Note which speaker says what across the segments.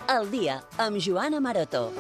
Speaker 1: Al dia, amb Joana Maroto.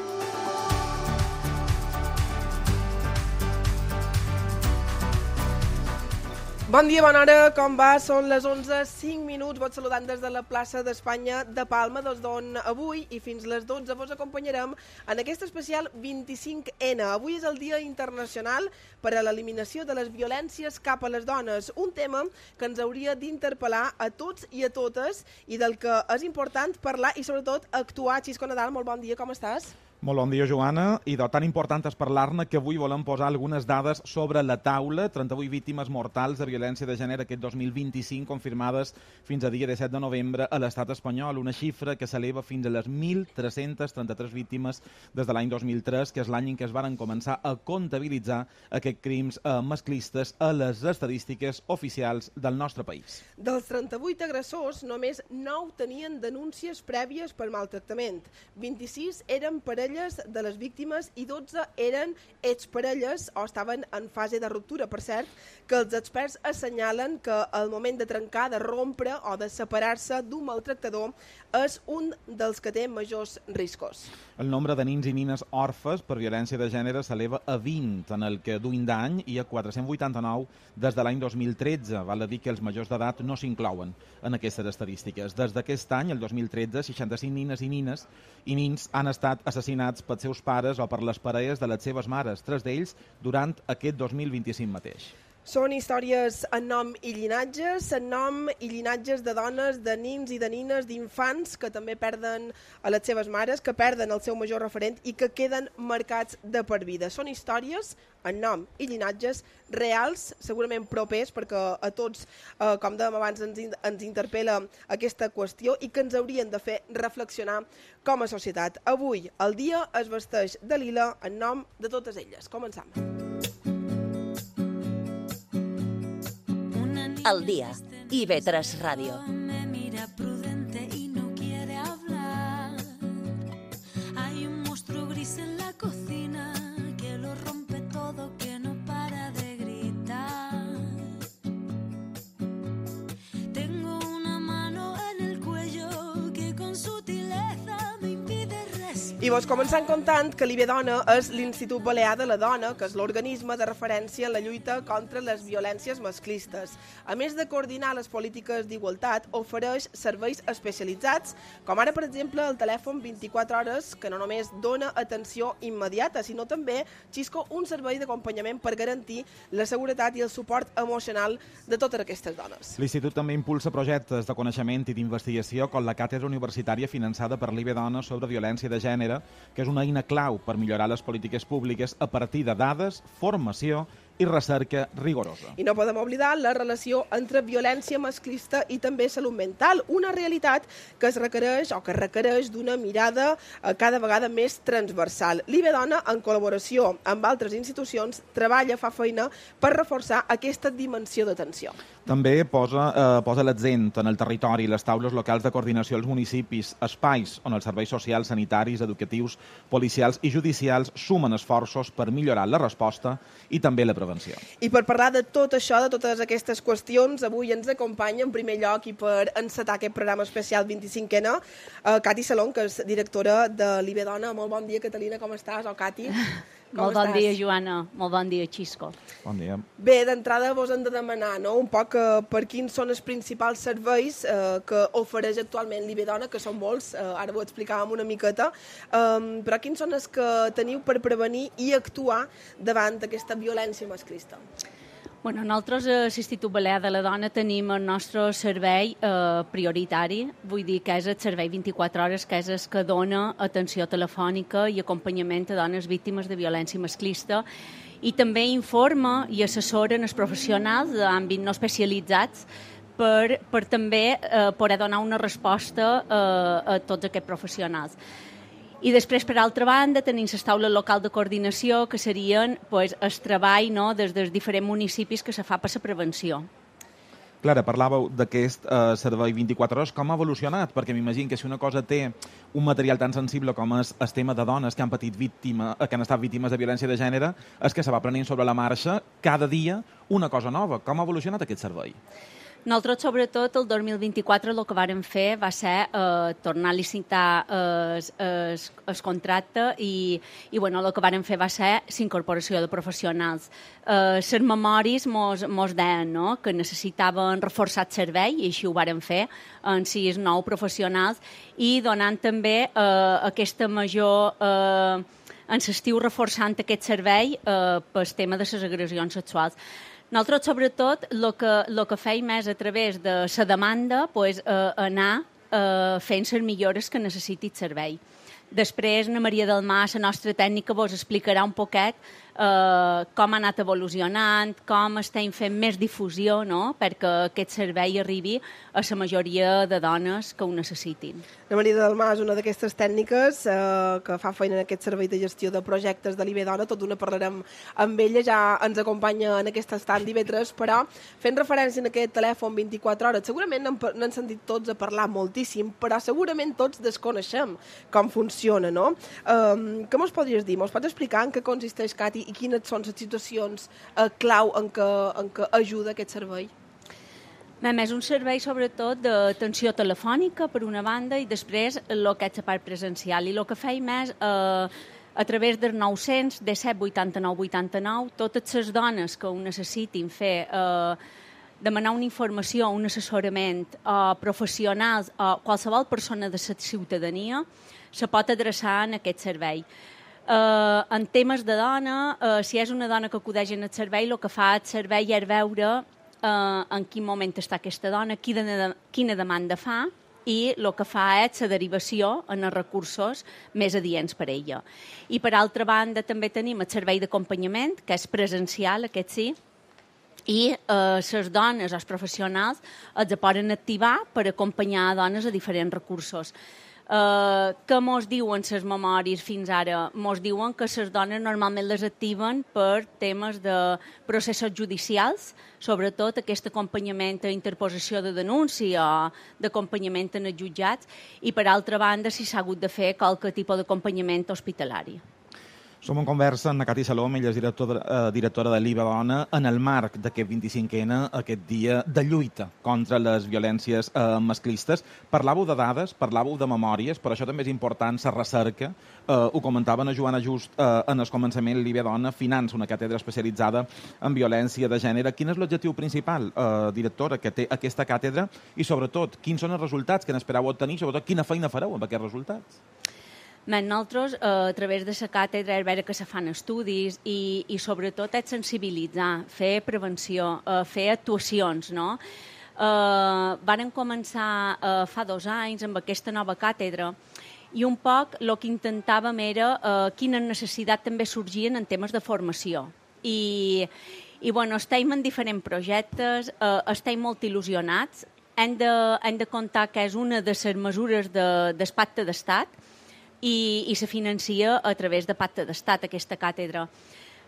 Speaker 2: Bon dia, bona hora, com va? Són les 11:05. Vos saludant des de la plaça d'Espanya de Palma, des d'on avui i fins les 12 vos acompanyarem en aquest especial 25N. Avui és el Dia Internacional per a l'eliminació de les violències cap a les dones, un tema que ens hauria d'interpel·lar a tots i a totes i del que és important parlar i sobretot actuar. Xisco Nadal, molt bon dia, com estàs?
Speaker 3: Molt bon dia, Joana. I de tan important és parlar-ne que avui volem posar algunes dades sobre la taula. 38 víctimes mortals de violència de gènere aquest 2025 confirmades fins a dia 17 de novembre a l'estat espanyol, una xifra que s'eleva fins a les 1.333 víctimes des de l'any 2003, que és l'any en què es varen començar a comptabilitzar aquests crims masclistes a les estadístiques oficials del nostre país.
Speaker 2: Dels 38 agressors, només 9 tenien denúncies prèvies per maltractament. 26 eren parelles de les víctimes i 12 eren exparelles o estaven en fase de ruptura. Per cert, que els experts assenyalen que el moment de trencar, de rompre o de separar-se d'un maltractador és un dels que té majors riscos.
Speaker 3: El nombre de nins i nines orfes per violència de gènere s'eleva a 20, en el que duim d'any hi ha 489 des de l'any 2013. Val a dir que els majors d'edat no s'inclouen en aquestes estadístiques. Des d'aquest any, el 2013, 65 nines i nins han estat assassinats pels seus pares o per les parelles de les seves mares, 3 d'ells durant aquest 2025 mateix.
Speaker 2: Són històries en nom i llinatges, en nom i llinatges de dones, de nins i de nines, d'infants que també perden a les seves mares, que perden el seu major referent i que queden marcats de per vida. Són històries en nom i llinatges reals, segurament propers, perquè a tots, com dèiem abans, ens interpel·la aquesta qüestió i que ens haurien de fer reflexionar com a societat. Avui el dia es vesteix de lila en nom de totes elles. Començam.
Speaker 1: Al dia, IB3 Ràdio.
Speaker 4: Me mira prudente y no quiere hablar. Hay un monstruo gris en la cocina que lo rompe todo, que no para de gritar. Tengo una mano en el cuello que con sutileza me impide respirar.
Speaker 2: I vos començant contant que l'IBDona és l'Institut Balear de la Dona, que és l'organisme de referència en la lluita contra les violències masclistes. A més de coordinar les polítiques d'igualtat, ofereix serveis especialitzats, com ara, per exemple, el telèfon 24 hores, que no només dona atenció immediata, sinó també, Xisco, un servei d'acompanyament per garantir la seguretat i el suport emocional de totes aquestes dones.
Speaker 3: L'Institut també impulsa projectes de coneixement i d'investigació com la càtedra universitària finançada per l'IBDona sobre violència de gènere, que és una eina clau per millorar les polítiques públiques a partir de dades, formació i recerca rigorosa.
Speaker 2: I no podem oblidar la relació entre violència masclista i també salut mental, una realitat que es requereix o que requereix d'una mirada cada vegada més transversal. l'IBDona, en col·laboració amb altres institucions, treballa, fa feina per reforçar aquesta dimensió d'atenció.
Speaker 3: També posa l'accent en el territori i les taules locals de coordinació als municipis, espais on els serveis socials, sanitaris, educatius, policials i judicials sumen esforços per millorar la resposta i també la prevenció.
Speaker 2: I per parlar de tot això, de totes aquestes qüestions, avui ens acompanya en primer lloc i per encetar aquest programa especial 25N, Cati Salón, que és directora de l'IBDona. Molt bon dia, Catalina, com estàs? O Cati?
Speaker 5: Molt bon dia, Joana. Molt bon dia, Xisco.
Speaker 3: Bon dia.
Speaker 2: Bé, d'entrada vos hem de demanar un poc per quins són els principals serveis que ofereix actualment l'IBDona, que són molts, ara ho explicàvem una miqueta, però quins són els que teniu per prevenir i actuar davant d'aquesta violència masclista?
Speaker 5: Bueno, nosaltres a l'Institut Balear de la Dona tenim el nostre servei prioritari, vull dir que és el servei 24 hores, que és el que dona atenció telefònica i acompanyament a dones víctimes de violència masclista i també informa i assessoren els professionals d'àmbit no especialitzats per també poder donar una resposta a tots aquests professionals. I després, per altra banda, tenim les taules locals de coordinació, que serien el treball des dels diferents municipis que se fa per la prevenció.
Speaker 3: Clara, parlàveu d'aquest servei 24 hores. Com ha evolucionat? Perquè m'imagino que si una cosa té un material tan sensible com és el tema de dones que han que han estat víctimes de violència de gènere, és que se va prenent sobre la marxa cada dia una cosa nova. Com ha evolucionat aquest servei?
Speaker 5: Nosaltres, sobretot, el 2024 el que vàrem fer va ser tornar a licitar el contracte i bueno, el que vàrem fer va ser l'incorporació de professionals. Les memòries mos deien, no?, que necessitaven reforçar el servei i així ho vàrem fer en 6 nous professionals i donant també aquesta major... en l'estiu reforçant aquest servei pel tema de les agressions sexuals. Nosaltres, sobretot, el que feim és, a través de la demanda, anar fent les millores que necessiti el servei. Després, na Maria del Mar, la nostra tècnica, vos explicarà un poquet com ha anat evolucionant, com estem fent més difusió, no?, perquè aquest servei arribi a la majoria de dones que ho necessitin.
Speaker 2: La Maria del Mar és una d'aquestes tècniques que fa feina en aquest servei de gestió de projectes de l'IB Dona. Tot d'una parlarem amb ella, ja ens acompanya en aquest estant d'IV3, però fent referència a aquest telèfon 24 hores, segurament n'han sentit tots a parlar moltíssim, però segurament tots desconeixem com funciona, no? Què mos podries dir? Mos pots explicar en què consisteix, Cati, i quines són les situacions clau en què ajuda aquest servei?
Speaker 5: És un servei, sobretot, d'atenció telefònica, per una banda, i després el que és la part presencial. I el que feim és, a través del 900, 17 89 89, totes les dones que ho necessitin fer, demanar una informació, un assessorament, professionals, o qualsevol persona de la ciutadania, se pot adreçar en aquest servei. En temes de dona, si és una dona que acudeix en el servei, el que fa el servei és veure en quin moment està aquesta dona, quina demanda fa, i el que fa és la derivació en els recursos més adients per a ella. I per altra banda també tenim el servei d'acompanyament, que és presencial, aquest sí, i les dones, els professionals, els poden activar per acompanyar dones a diferents recursos. Què mos diuen les memòries fins ara? Mos diuen que les dones normalment les activen per temes de processos judicials, sobretot aquest acompanyament a interposició de denúncia o d'acompanyament en els jutjats, i per altra banda si s'ha hagut de fer qualque tipus d'acompanyament hospitalari.
Speaker 3: Som en conversa amb Cati Salom, ella és directora de l'IVA Dona, en el marc d'aquest 25N, aquest dia de lluita contra les violències masclistes. Parlàveu de dades, parlàveu de memòries, per això també és important la recerca. Ho comentava a Joana just en el començament, l'IVA Dona finança una càtedra especialitzada en violència de gènere. Quin és l'objectiu principal, directora, que té aquesta càtedra i, sobretot, quins són els resultats que n'espereu obtenir, sobretot, quina feina fareu amb aquests resultats?
Speaker 5: Nosaltres, a través de la càtedra, és veure que se fan estudis i sobretot, és sensibilitzar, fer prevenció, fer actuacions, no? Varen començar fa 2 anys amb aquesta nova càtedra i un poc el que intentàvem era quines necessitats també sorgien en temes de formació. I bueno, estem en diferents projectes, estem molt il·lusionats, hem de comptar que és una de les mesures del Pacte d'Estat, i se financia a través de Pacte d'Estat, aquesta càtedra.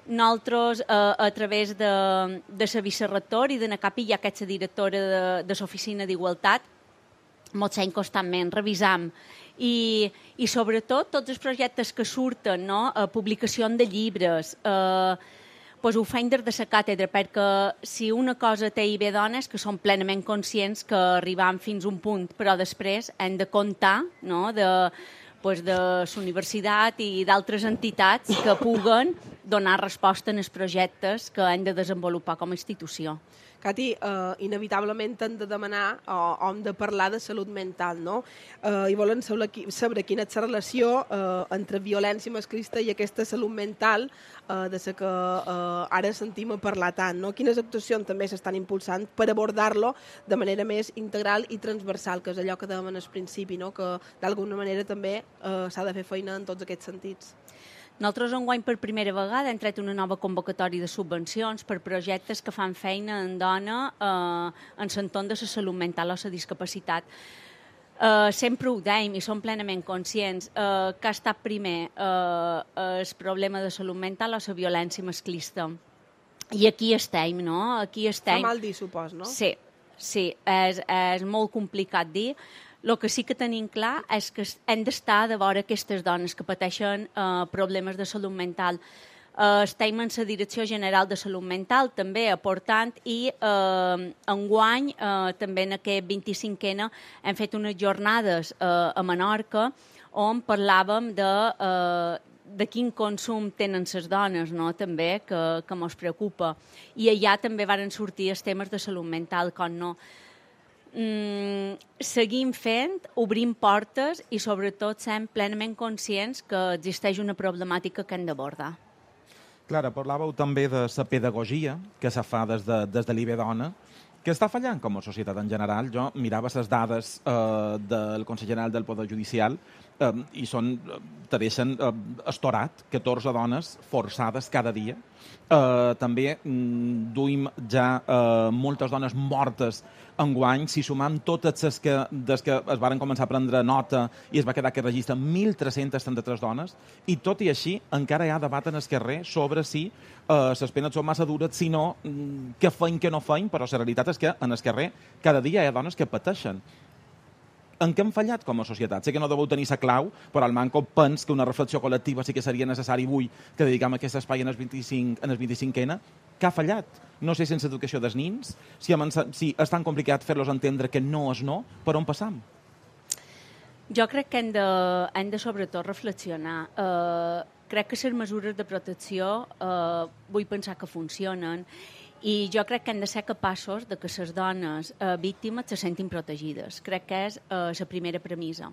Speaker 5: Nosaltres, a través de la vicerector i de Nacapi, ja que ets directora de l'Oficina d'Igualtat, ens hem constantment revisant i sobretot tots els projectes que surten, no? Publicació de llibres, ho fem des de la càtedra, perquè si una cosa té IB Dones, que som plenament conscients que arribam fins a un punt, però després hem de comptar, no?, de la universitat i d'altres entitats que puguen donar resposta en els projectes que hem de desenvolupar com a institució.
Speaker 2: Cati, inevitablement hem de demanar o hem de parlar de salut mental, no? I volen saber quina és la relació entre violència masclista i aquesta salut mental de la que ara sentim a parlar tant, no? Quines actuacions també s'estan impulsant per abordar-lo de manera més integral i transversal, que és allò que dèiem al principi, no? Que d'alguna manera també s'ha de fer feina en tots aquests sentits.
Speaker 5: Nosaltres enguany per primera vegada hem tret una nova convocatòria de subvencions per projectes que fan feina en dona en l'entorn de la salut mental o la discapacitat. Sempre ho dèiem i som plenament conscients que ha estat primer el problema de salut mental o la violència masclista. I aquí estem, no? Aquí estem.
Speaker 2: Fa mal dir, supos, no?
Speaker 5: Sí. Sí, és molt complicat dir. El que sí que tenim clar és que hem d'estar de vora aquestes dones que pateixen problemes de salut mental. Estem en la Direcció General de Salut Mental també aportant i enguany també en aquest 25N hem fet unes jornades a Menorca on parlàvem de quin consum tenen les dones, no? També, que mos preocupa. I allà també varen sortir els temes de salut mental, com no. Seguim fent, obrim portes i sobretot sent plenament conscients que existeix una problemàtica que hem d'abordar.
Speaker 3: Clara, parlàveu també de la pedagogia que se fa des de l'IBE Dona, que està fallant com a societat en general. Jo mirava les dades del Consell General del Poder Judicial i te deixen estorat 14 dones forçades cada dia. També duim ja moltes dones mortes enguany. Si sumam totes les que des que es varen començar a prendre nota i es va quedar aquest registre, 1.333 dones, i tot i així encara hi ha debat en el carrer sobre si les penes són massa dures, si no, què feim, què no feim, però la realitat és que en el carrer cada dia hi ha dones que pateixen. En què hem fallat com a societat? Sé que no deveu tenir la clau, però el Manco pens que una reflexió col·lectiva sí que seria necessari avui que dedicam aquest espai en el 25N. Què ha fallat? No sé, sense educació dels nins, si és tan complicat fer-los entendre que no és no, per on passam?
Speaker 5: Jo crec que hem de sobretot reflexionar. Crec que les mesures de protecció vull pensar que funcionen i jo crec que hem de ser capaços de que les dones víctimes se sentin protegides. Crec que és la primera premissa.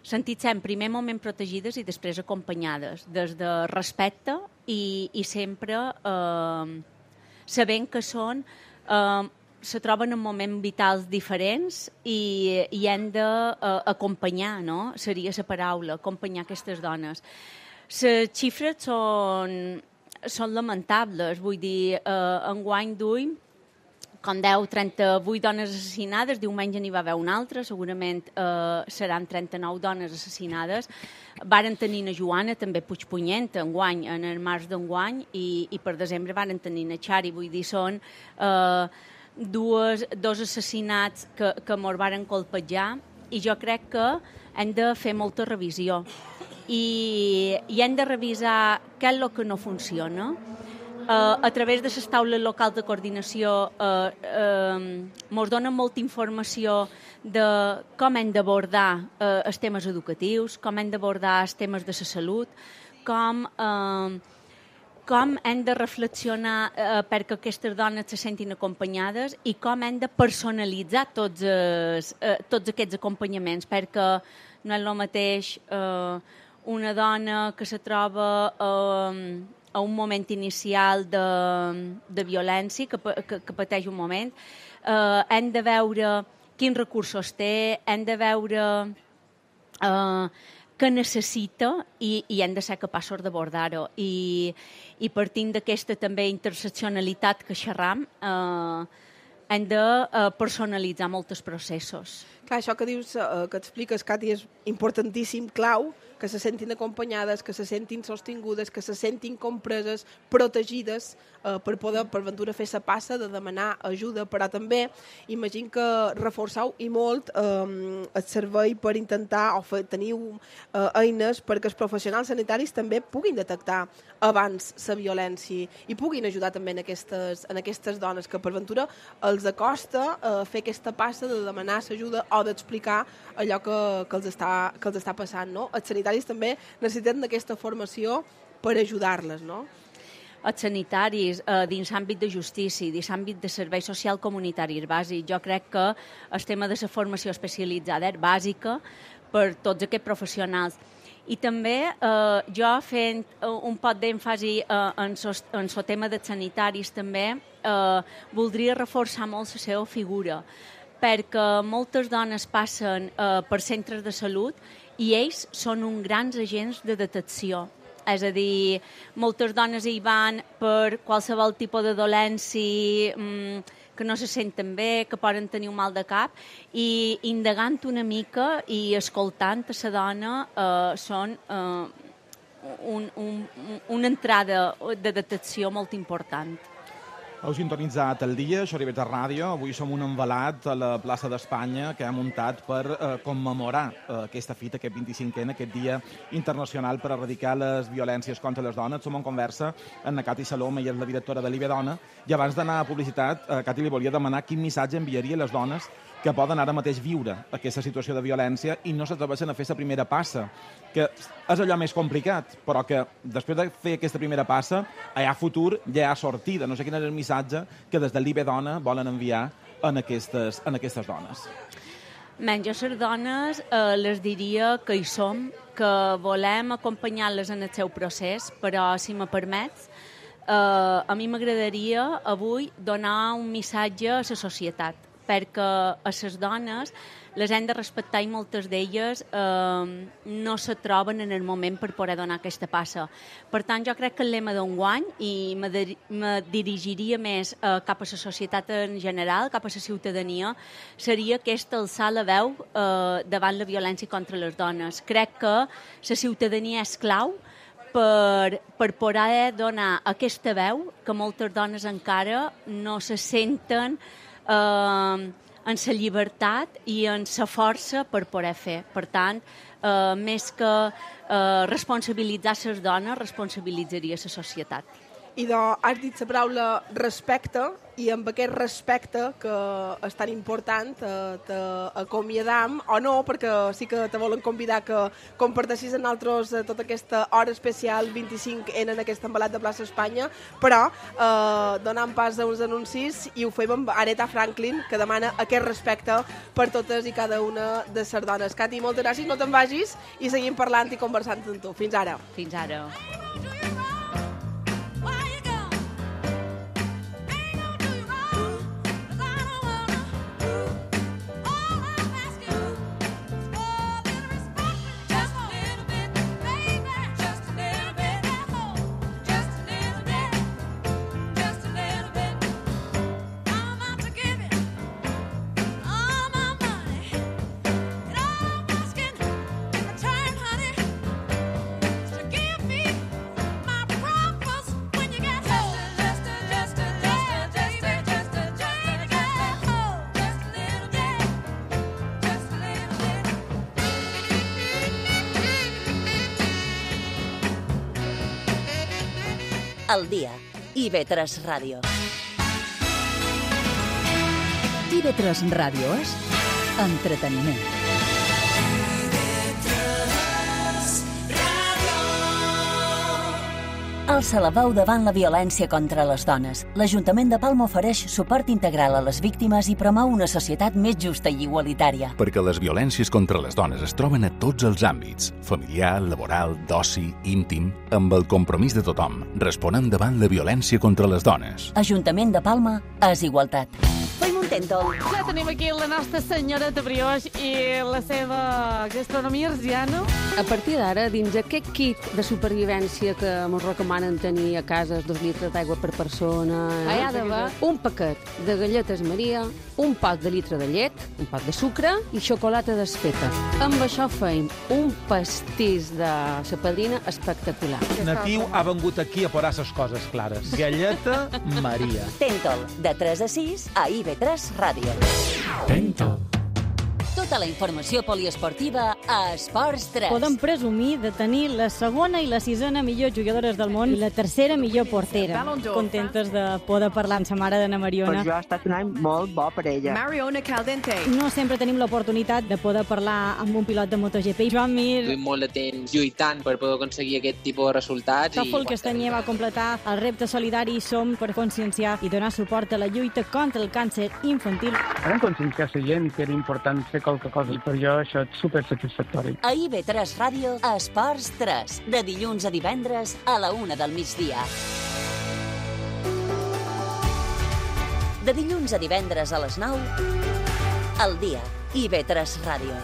Speaker 5: Sentir-se en primer moment protegides i després acompanyades, des de respecte i sempre sabent que se troben en moments vitals diferents i hem d'acompanyar, no? Seria la paraula, acompanyar aquestes dones. Les xifres són lamentables, vull dir, enguany duim com 38 dones assassinades, diumenge n'hi va haver una altra, segurament seran 39 dones assassinades. Varen tenir a Joana, també Puigpunyent, enguany, en el març d'enguany, i per desembre varen tenir a Xari, vull dir, són dos assassinats que mos varen colpejar, i jo crec que hem de fer molta revisió. I hem de revisar què és el que no funciona. A través de les taules locals de coordinació ens donen molta informació de com hem d'abordar els temes educatius, com hem d'abordar els temes de la salut, com hem de reflexionar perquè aquestes dones se sentin acompanyades i com hem de personalitzar tots aquests acompanyaments, perquè no és el mateix una dona que se troba a un moment inicial de violència, que pateix un moment. Hem de veure quins recursos té, hem de veure què necessita i hem de ser capaços d'abordar-ho. I partint d'aquesta també interseccionalitat que xerram, hem de personalitzar molts processos.
Speaker 2: Clar, això que dius, que expliques, Cati, és importantíssim, clau, que se sentin acompanyades, que se sentin sostingudes, que se sentin compreses, protegides, per poder, per ventura, fer la passa de demanar ajuda, però també imagino que reforçau i molt el servei per intentar, o teniu eines perquè els professionals sanitaris també puguin detectar abans la violència i puguin ajudar també en aquestes dones que per ventura els acosta fer aquesta passa de demanar l'ajuda o d'explicar allò que els està passant, no? Els sanitaris també necessiten d'aquesta formació per ajudar-les, no?
Speaker 5: Els sanitaris, dins l'àmbit de justícia, dins l'àmbit de servei social comunitari és bàsic. Jo crec que el tema de la formació especialitzada és bàsica per tots aquests professionals. I també jo fent un poc d'èmfasi en el tema dels sanitaris també voldria reforçar molt la seva figura, perquè moltes dones passen per centres de salut i ells són uns grans agents de detecció. És a dir, moltes dones hi van per qualsevol tipus de dolència, que no se senten bé, que poden tenir un mal de cap, i indagant una mica i escoltant a la dona són una entrada de detecció molt important.
Speaker 3: Heu sintonitzat el dia, això arriba a ràdio. Avui som un envelat a la plaça d'Espanya que ha muntat per commemorar aquesta fita, aquest 25N, aquest dia internacional per erradicar les violències contra les dones. Som en conversa amb la Cati Salom, ella és la directora de l'IBE Dona, i abans d'anar a publicitat, Cati, li volia demanar quin missatge enviaria a les dones que poden ara mateix viure aquesta situació de violència i no s'atreveixen a fer la primera passa, que és allò més complicat, però que després de fer aquesta primera passa hi ha futur, ja hi ha sortida. No sé quin és el missatge que des de l'IBE Dona volen enviar en aquestes dones.
Speaker 5: Jo a les dones les diria que hi som, que volem acompanyar-les en el seu procés, però, si me permets, a mi m'agradaria avui donar un missatge a la societat, perquè a les dones les hem de respectar i moltes d'elles no se troben en el moment per poder donar aquesta passa. Per tant, jo crec que el lema d'enguany, i me dirigiria més cap a la societat en general, cap a la ciutadania, seria aquesta alçar la veu davant la violència contra les dones. Crec que la ciutadania és clau per poder donar aquesta veu que moltes dones encara no se senten en la llibertat i en la força per poder fer. Per tant, més que responsabilitzar les dones, responsabilitzaria la societat.
Speaker 2: I has dit la paraula respecte, i amb aquest respecte, que és tan important, t'acomiadam, o no, perquè sí que te volen convidar que comparteixis amb nosaltres tota aquesta hora especial 25N en aquest embalat de plaça Espanya, però donant pas a uns anuncis, i ho fem amb Aretha Franklin, que demana aquest respecte per totes i cada una de les dones. Cati, moltes gràcies, no te'n vagis, i seguim parlant i conversant amb tu. Fins ara.
Speaker 5: Fins ara.
Speaker 1: Al dia. IB3 Ràdio.
Speaker 6: IB3 Ràdio és entreteniment.
Speaker 1: Alça la veu davant la violència contra les dones. L'Ajuntament de Palma ofereix suport integral a les víctimes i promou una societat més justa i igualitària.
Speaker 7: Perquè les violències contra les dones es troben a tots els àmbits, familiar, laboral, d'oci, íntim, amb el compromís de tothom. Responem davant la violència contra les dones.
Speaker 1: Ajuntament de Palma és igualtat. Fem un tèntol.
Speaker 8: Ja tenim aquí la nostra senyoreta Brioix i la seva gastronomia arsiana.
Speaker 9: A partir d'ara, dins aquest kit de supervivència que ens recomanen tenir a casa 2 litres d'aigua per persona,
Speaker 8: hi ha d'haver
Speaker 9: un paquet de galletes Maria, un pot de litre de llet, un pot de sucre i xocolata desfeta. Amb això feim un pastís de sa padrina espectacular.
Speaker 10: Natiu ha vengut aquí a posar ses coses clares. Galleta Maria.
Speaker 1: Tèntol, de 3 a 6 a IB3 Ràdio.
Speaker 10: Tèntol.
Speaker 1: Tota la informació poliesportiva a Esports 3.
Speaker 11: Podem presumir de tenir la segona i la sisena millor jugadores del món i la tercera millor portera. Contentes de poder parlar amb sa mare d'Anna Mariona.
Speaker 12: Per jo ha estat un any molt bo per ella.
Speaker 11: Mariona Caldente. No sempre tenim l'oportunitat de poder parlar amb un pilot de MotoGP. Joan Mir.
Speaker 13: Duim molt de temps lluitant per poder aconseguir aquest tipus de resultats.
Speaker 11: Tòfol Castanyer va completar el repte solidari Som per conscienciar i donar suport a la lluita contra el càncer infantil.
Speaker 14: Vam conscienciar la gent que era important fer qualque cosa i per jo això és supersatisfactori.
Speaker 1: A IB3 Ràdio, a Esports 3, de dilluns a divendres a la 1 del migdia. De dilluns a divendres a les 9, al dia, IB3 Ràdio.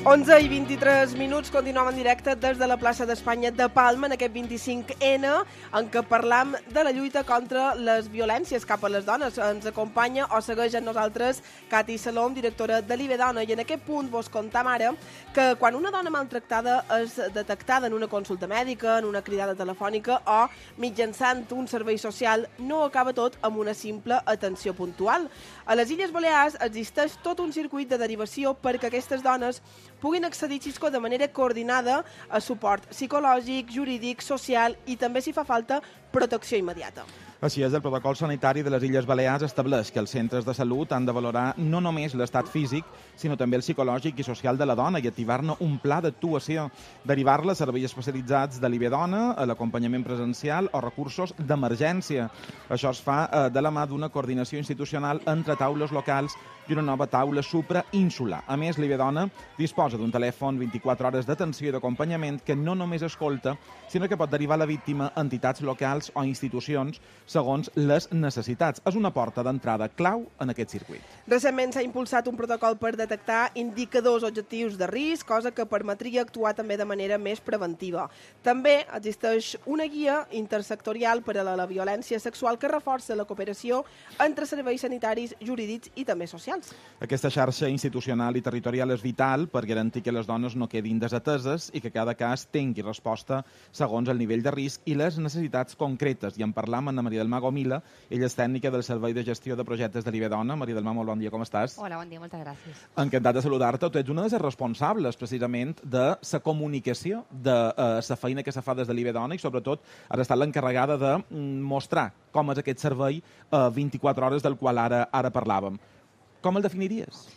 Speaker 2: 11:23, continuem en directe des de la plaça d'Espanya de Palma en aquest 25N, en què parlam de la lluita contra les violències cap a les dones. Ens acompanya o segueix amb nosaltres Cati Salom, directora de l'IBE Dona, i en aquest punt vos contam ara que quan una dona maltractada és detectada en una consulta mèdica, en una cridada telefònica o mitjançant un servei social, no acaba tot amb una simple atenció puntual. A les Illes Balears existeix tot un circuit de derivació perquè aquestes dones puguin accedir, Xisco, de manera coordinada a suport psicològic, jurídic, social i també, si fa falta, protecció immediata.
Speaker 3: Així és, el protocol sanitari de les Illes Balears estableix que els centres de salut han de valorar no només l'estat físic, sinó també el psicològic i social de la dona i activar-ne un pla d'actuació, derivar-la a serveis especialitzats de l'IBE Dona, a l'acompanyament presencial o recursos d'emergència. Això es fa de la mà d'una coordinació institucional entre taules locals i una nova taula suprainsular. A més, l'IBE Dona disposa d'un telèfon 24 hores d'atenció i d'acompanyament que no només escolta, sinó que pot derivar la víctima a entitats locals o institucions segons les necessitats. És una porta d'entrada clau en aquest circuit.
Speaker 2: Recentment s'ha impulsat un protocol per detectar indicadors objectius de risc, cosa que permetria actuar també de manera més preventiva. També existeix una guia intersectorial per a la violència sexual que reforça la cooperació entre serveis sanitaris, jurídics i també socials.
Speaker 3: Aquesta xarxa institucional i territorial és vital per garantir que les dones no quedin desateses i que cada cas tingui resposta segons el nivell de risc i les necessitats concretes. I en parlam amb Ana Maria del Mar Gomila, ella és tècnica del Servei de Gestió de Projectes de l'IBE Dona. Maria del Mar, molt bon dia, com estàs?
Speaker 15: Hola, bon dia, moltes gràcies.
Speaker 3: Encantat de saludar-te. Tu ets una de les responsables, precisament, de la comunicació, de la feina que se fa des de l'IBE Dona i, sobretot, has estat l'encarregada de mostrar com és aquest servei 24 hores del qual ara parlàvem. Com el definiries?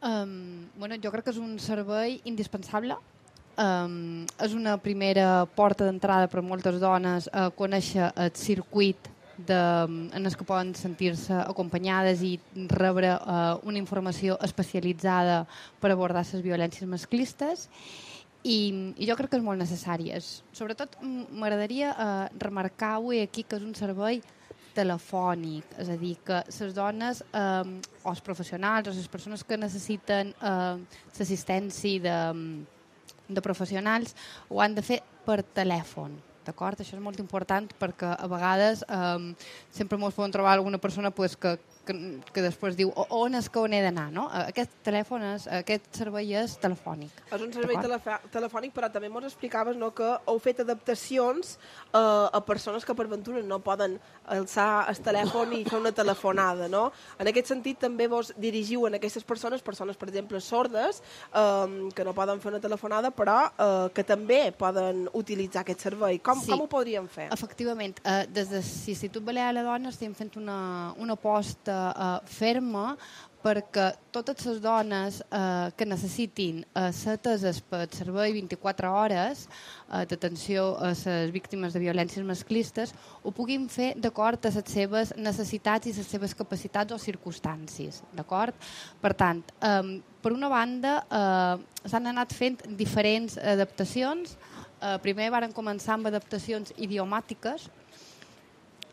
Speaker 15: Bueno, jo crec que és un servei indispensable. És una primera porta d'entrada per a moltes dones a conèixer el circuit en el que poden sentir-se acompanyades i rebre una informació especialitzada per abordar les violències masclistes. I jo crec que és molt necessari. Sobretot m'agradaria remarcar avui aquí que és un servei telefònic, és a dir, que les dones o els professionals o les persones que necessiten l'assistència de professionals ho han de fer per telèfon, d'acord? Això és molt important perquè a vegades sempre ens podem trobar alguna persona que després diu on és que on he d'anar, no? Aquest servei és telefònic.
Speaker 2: És un servei telefònic, però també ens explicaves que heu fet adaptacions a persones que per ventura no poden alçar el telèfon i fer una telefonada, no? En aquest sentit també vos dirigiu a aquestes persones, per exemple, sordes, que no poden fer una telefonada, però que també poden utilitzar aquest servei. Com ho podríem fer?
Speaker 15: Efectivament, des de l'Institut Balear de la Dona estem fent una aposta ferma perquè totes les dones que necessitin ser ateses pel servei 24 hores d'atenció a les víctimes de violències masclistes ho puguin fer d'acord a les seves necessitats i les seves capacitats o circumstàncies, d'acord? Per tant, per una banda, s'han anat fent diferents adaptacions. Primer varen començar amb adaptacions idiomàtiques.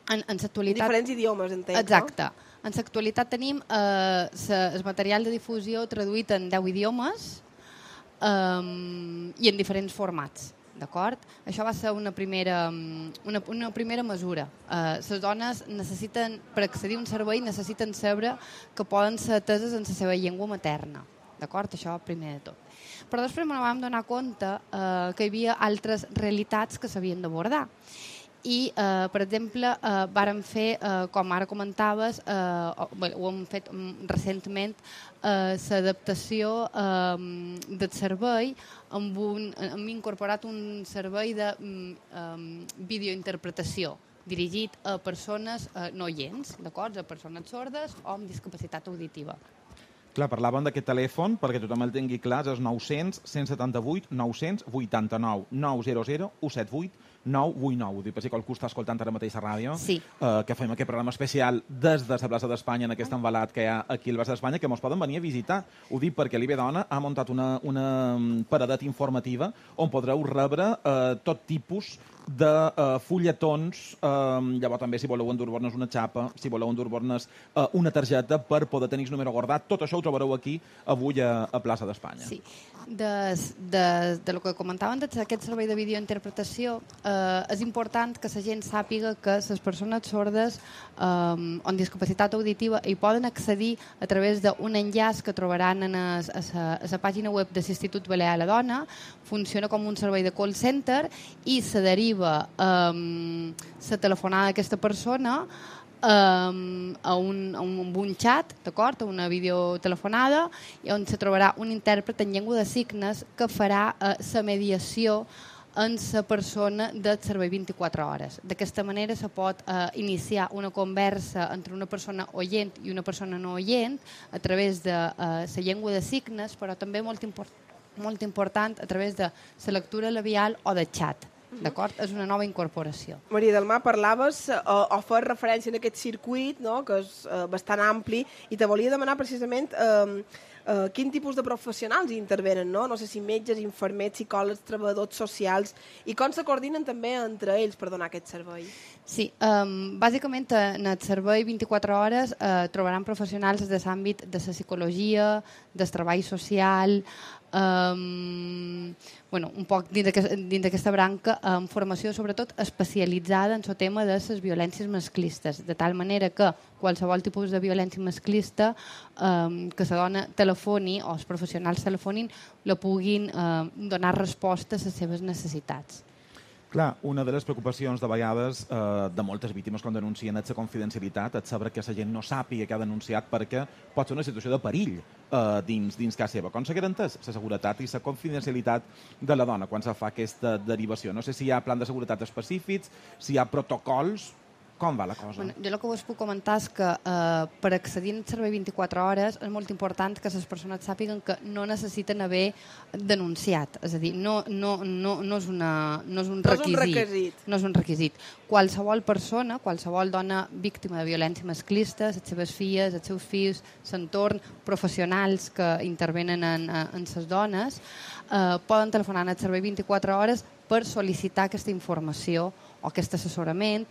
Speaker 15: En l'actualitat...
Speaker 2: Diferents idiomes, entenc,
Speaker 15: Exacte. En l'actualitat tenim el material de difusió traduït en 10 idiomes i en diferents formats. D'acord? Això va ser una primera mesura. Les dones necessiten, per accedir a un servei, necessiten saber que poden ser ateses en la seva llengua materna. D'acord? Això primer de tot. Però després ens vam donar compte que hi havia altres realitats que s'havien d'abordar. I, per exemple, vàrem fer, com ara comentaves, ho hem fet recentment, l'adaptació del servei, hem incorporat un servei de videointerpretació dirigit a persones no oients, d'acord? A persones sordes o amb discapacitat auditiva.
Speaker 3: Clar, parlàvem d'aquest telèfon, perquè tothom el tingui clar, és 900 178 989 900 178 989. Ho dic per si qualcú està escoltant ara mateix a ràdio,
Speaker 9: sí.
Speaker 3: Que fem aquest programa especial des de la plaça d'Espanya, en aquest envelat que hi ha aquí a la plaça d'Espanya, que mos poden venir a visitar. Ho dic perquè l'IB Dona ha muntat una paradeta informativa on podreu rebre tot tipus de fulletons, llavors també si voleu endur-vos una xapa, si voleu endur-vos una targeta per poder tenir el número guardat. Tot això ho trobareu aquí avui a plaça d'Espanya.
Speaker 15: Sí. De lo que comentaven d'aquest servei de videointerpretació, és important que la gent sàpiga que les persones sordes amb discapacitat auditiva hi poden accedir a través d'un enllaç que trobaran a la pàgina web de l'Institut Balear a la Dona. Funciona com un servei de call center i se deriva la telefonada d'aquesta persona a un xat, d'acord, a una videotelefonada, on se trobarà un intèrpret en llengua de signes que farà la mediació en la persona del servei 24 hores. D'aquesta manera se pot iniciar una conversa entre una persona oient i una persona no oient a través de la llengua de signes, però també molt important a través de la lectura labial o de xat. D'acord? És una nova incorporació.
Speaker 2: Maria del Mar, parlaves o fes referència a aquest circuit, no?, que és bastant ampli, i te volia demanar precisament quin tipus de professionals hi intervenen, no? No sé si metges, infermers, psicòlegs, treballadors socials, i com se coordinen també entre ells per donar aquest servei.
Speaker 15: Sí, bàsicament en el servei 24 hores trobaran professionals de l'àmbit de la psicologia, del treball social, un poc dins d'aquesta branca, amb formació sobretot especialitzada en el tema de les violències masclistes, de tal manera que qualsevol tipus de violència masclista que la dona telefoni o els professionals telefonin la puguin donar resposta a les seves necessitats.
Speaker 3: Clar, una de les preocupacions de vegades de moltes víctimes quan denuncien és la confidencialitat, és saber que la gent no sàpiga que ha denunciat perquè pot ser una situació de perill dins casa seva. Com se garanteix la seguretat i la confidencialitat de la dona quan se fa aquesta derivació? No sé si hi ha plans de seguretat específics, si hi ha protocols. Com va la cosa?
Speaker 15: Bueno, jo el que us puc comentar és que per accedir al servei 24 hores és molt important que les persones sàpiguen que no necessiten haver denunciat. És a dir, no és un requisit. No és un requisit. Qualsevol persona, qualsevol dona víctima de violència masclista, les seves filles, els seus fills, l'entorn, professionals que intervenen en les dones, poden telefonar al servei 24 hores per sol·licitar aquesta informació o aquest assessorament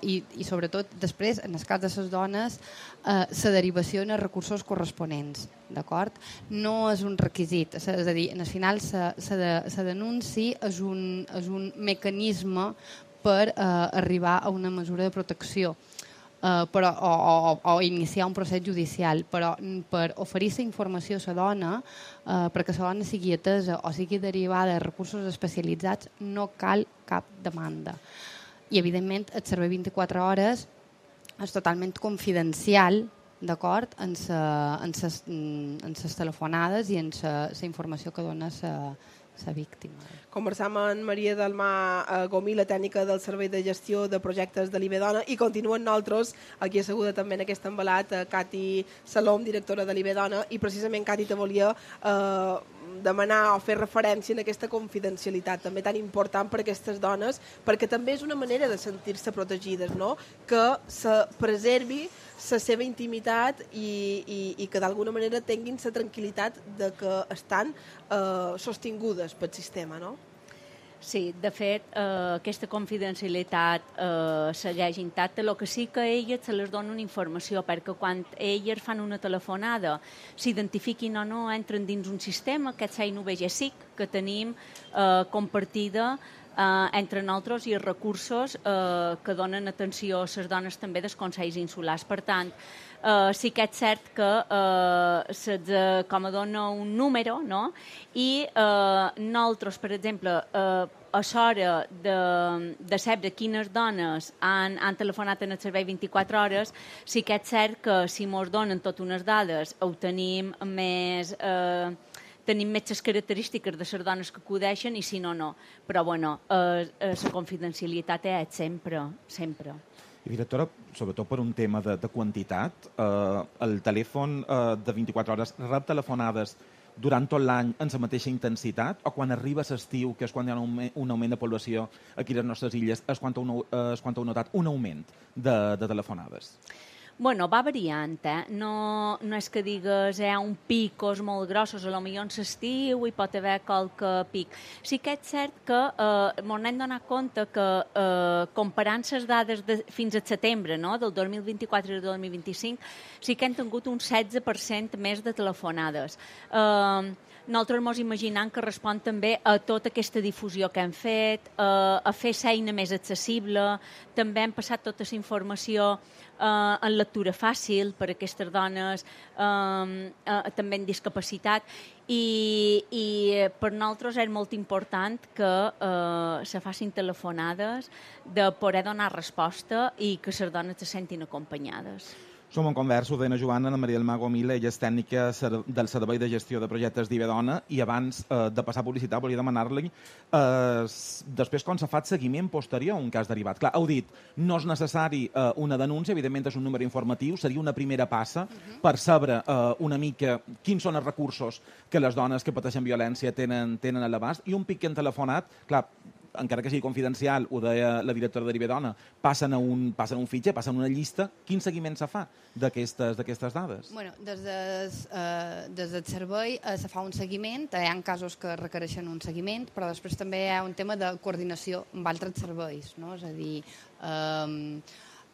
Speaker 15: i sobretot després, en el cas de les dones, la derivació en els recursos corresponents. D'acord? No és un requisit. És a dir, al final la denunci és un mecanisme per arribar a una mesura de protecció o iniciar un procés judicial, però per oferir la informació a la dona perquè la dona sigui atesa o sigui derivada a recursos especialitzats no cal cap demanda. I evidentment el servei 24 hores és totalment confidencial, d'acord, en les telefonades i en la informació que dona la víctima.
Speaker 2: Conversam amb Maria del Mar Gomí, la tècnica del Servei de Gestió de Projectes de l'IB Dona, i continuen nosaltres, aquí asseguda també en aquest envelat, Cati Salom, directora de l'IB Dona, i precisament, Cati, te volia demanar o fer referència en aquesta confidencialitat també tan important per a aquestes dones, perquè també és una manera de sentir-se protegides, no? Que se preservi la seva intimitat i que d'alguna manera tinguin la tranquil·litat de que estan sostingudes pel sistema, no?
Speaker 5: Sí, de fet, aquesta confidencialitat segueix intacta. El que sí que a elles se les dona una informació, perquè quan elles fan una telefonada, s'identifiquin o no, entren dins un sistema, aquest CNVG-SIC, que tenim compartida entre nosaltres i els recursos que donen atenció a les dones també dels Consells Insulars. Per tant, sí que és cert que com a dona un número, no? I nosaltres, per exemple, a l'hora de saber quines dones han telefonat en el servei 24 hores, sí que és cert que si ens donen totes unes dades ho tenim més les característiques de les dones que acudeixen i si no, no. Però, bueno, la confidencialitat és sempre, sempre.
Speaker 3: I, directora, sobretot per un tema de quantitat, el telèfon de 24 hores rep telefonades durant tot l'any en la mateixa intensitat, o quan arriba l'estiu, que és quan hi ha un augment de població aquí a les nostres illes, és quan heu notat un augment de telefonades?
Speaker 5: Bueno, va variant, No és que digues un picos molt grossos, a lo millor en l'estiu hi pot haver qualque pic. Sí que és cert que m'hem donat compte que comparant les dades fins a setembre, no?, del 2024 i del 2025, sí que hem tingut un 16% més de telefonades. Nosaltres ens imaginem que respon també a tota aquesta difusió que hem fet, a fer l'eina més accessible, també hem passat tota la informació en lectura fàcil per a aquestes dones també en discapacitat i per nosaltres és molt important que se facin telefonades de poder donar resposta i que les dones se sentin acompanyades.
Speaker 3: Som en conversa, ho deia Joana, Ana Maria del Mago Mila, ella és tècnica del Servei de Gestió de Projectes d'Ibedona, i abans de passar a publicitat volia demanar-li després com s'ha fet seguiment posterior a un cas derivat. Clar, heu dit, no és necessari una denúncia, evidentment és un número informatiu, seria una primera passa per saber una mica quins són els recursos que les dones que pateixen violència tenen a l'abast, i un pic que han telefonat, clar, encara que sigui confidencial, ho deia la directora de Ibedona, passen a un fitxer, passen a una llista. Quin seguiment se fa d'aquestes dades?
Speaker 15: Bueno, des del servei se fa un seguiment, hi ha casos que requereixen un seguiment, però després també hi ha un tema de coordinació amb altres serveis, no? És a dir,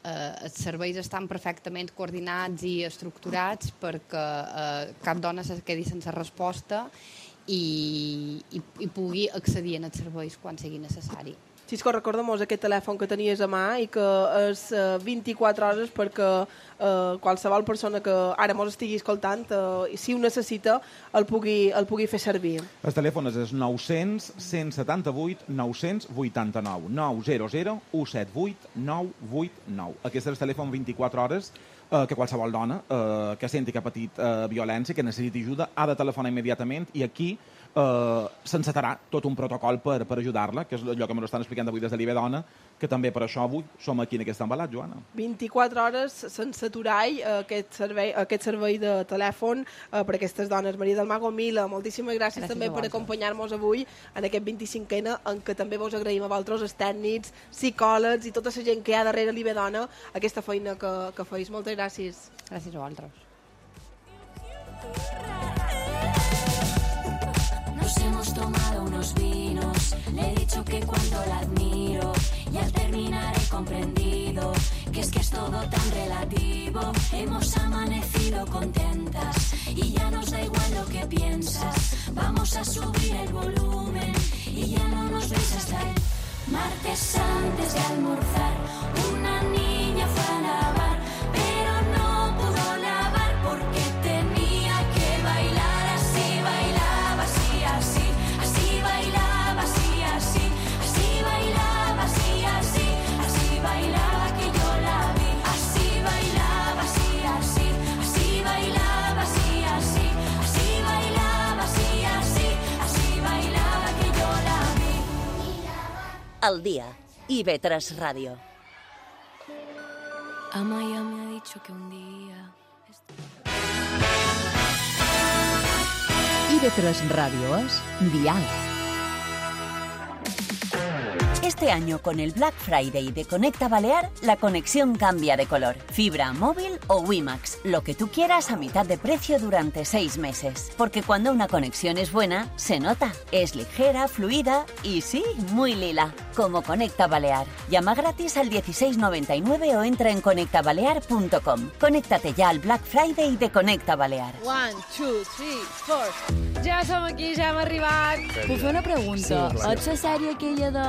Speaker 15: els serveis estan perfectament coordinats i estructurats perquè cap dona se quedi sense resposta i pugui accedir als serveis quan sigui necessari.
Speaker 2: Xisco, recorda'm aquest telèfon que tenies a mà i que és 24 hores perquè qualsevol persona que ara mos estigui escoltant, si ho necessita, el pugui fer servir.
Speaker 3: El telèfon és 900 178 989 900 178 989. Aquest és el telèfon 24 hores que qualsevol dona que senti que ha patit violència, que necessiti ajuda, ha de telefonar immediatament, i aquí s'encetarà tot un protocol per ajudar-la, que és allò que m'ho estan explicant avui des de l'Ibedona, que també per això avui som aquí en aquest embalat, Joana.
Speaker 2: 24 hores sense aturar aquest servei de telèfon per a aquestes dones. Maria del Mago Mila, moltíssimes gràcies també per acompanyar-nos avui en aquest 25N, en què també vos agraïm a vosaltres, els tècnics, psicòlegs i tota la gent que hi ha darrere l'Ibedona, aquesta feina que feis. Moltes gràcies.
Speaker 15: Gràcies a vosaltres.
Speaker 4: Nos hemos tomado unos vinos, le he dicho que cuando la admiro y al terminar he comprendido que es todo tan relativo. Hemos amanecido contentas y ya nos da igual lo que piensas. Vamos a subir el volumen y ya no nos ves hasta el martes antes de almorzar. Una niña fue a lavar, pero no pudo lavar porque tenía que bailar. Así bailaba, así, así, así bailaba, así, así, así bailaba, así, así, así bailaba que yo la vi. Así bailaba, así, así, así bailaba, así, así, así bailaba, así, así, así bailaba que yo la vi.
Speaker 1: Al día, IB3 Radio.
Speaker 4: Amaya me ha dicho que un día...
Speaker 6: IB3 Radio es Dial.
Speaker 1: Este año, con el Black Friday de Conecta Balear, la conexión cambia de color. Fibra, móvil o WiMAX, lo que tú quieras a mitad de precio durante 6 meses. Porque cuando una conexión es buena, se nota. Es ligera, fluida y sí, muy lila. Como Conecta Balear. Llama gratis al 1699 o entra en conectabalear.com. Conéctate ya al Black Friday de Conecta Balear.
Speaker 8: 1, 2, 3, 4. Ja som aquí, ja hem arribat.
Speaker 11: Puc fer una pregunta?
Speaker 8: Sí,
Speaker 11: Ets la sèrie aquella de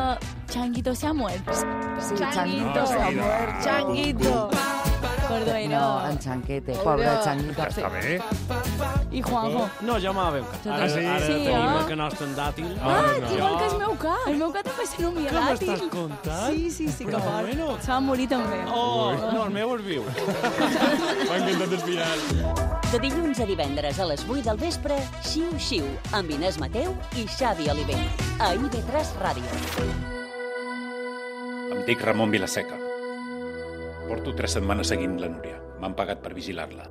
Speaker 11: Changuito se ha muerto?
Speaker 8: Sí, Changuito se ha muerto. Changuito. Perdó,
Speaker 9: No, en Chanquete, pobre Changuito.
Speaker 16: Està bé.
Speaker 11: I Juanjo?
Speaker 16: No, jo m'ha veu cap. Ara tenim el que nostre en dàtil.
Speaker 11: Igual que el meu ca. El meu ca també se nomia
Speaker 16: Què
Speaker 11: dàtil.
Speaker 16: m'estàs contant?
Speaker 11: Sí, que
Speaker 16: Però
Speaker 11: fort.
Speaker 16: bueno.
Speaker 11: Se va morir també.
Speaker 16: No, el meu és viu. M'ha encantat espirar.
Speaker 1: De dilluns a divendres a les 8 del vespre, Xiu Xiu, amb Inés Mateu i Xavi Oliver. A IB3 Ràdio.
Speaker 7: Em dic Ramon Vilaseca. Porto 3 setmanes seguint la Núria. M'han pagat per vigilar-la.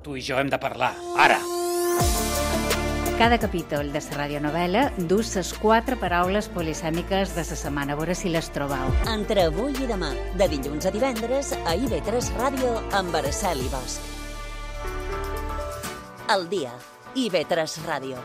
Speaker 7: Tu i jo hem de parlar, ara!
Speaker 17: Cada capítol de la radionovel·la du les 4 paraules polisèmiques de la setmana. A veure si les trobeu.
Speaker 1: Entre avui i demà, de dilluns a divendres, a IB3 Ràdio amb Araceli Bosch. El dia, IB3 Ràdio.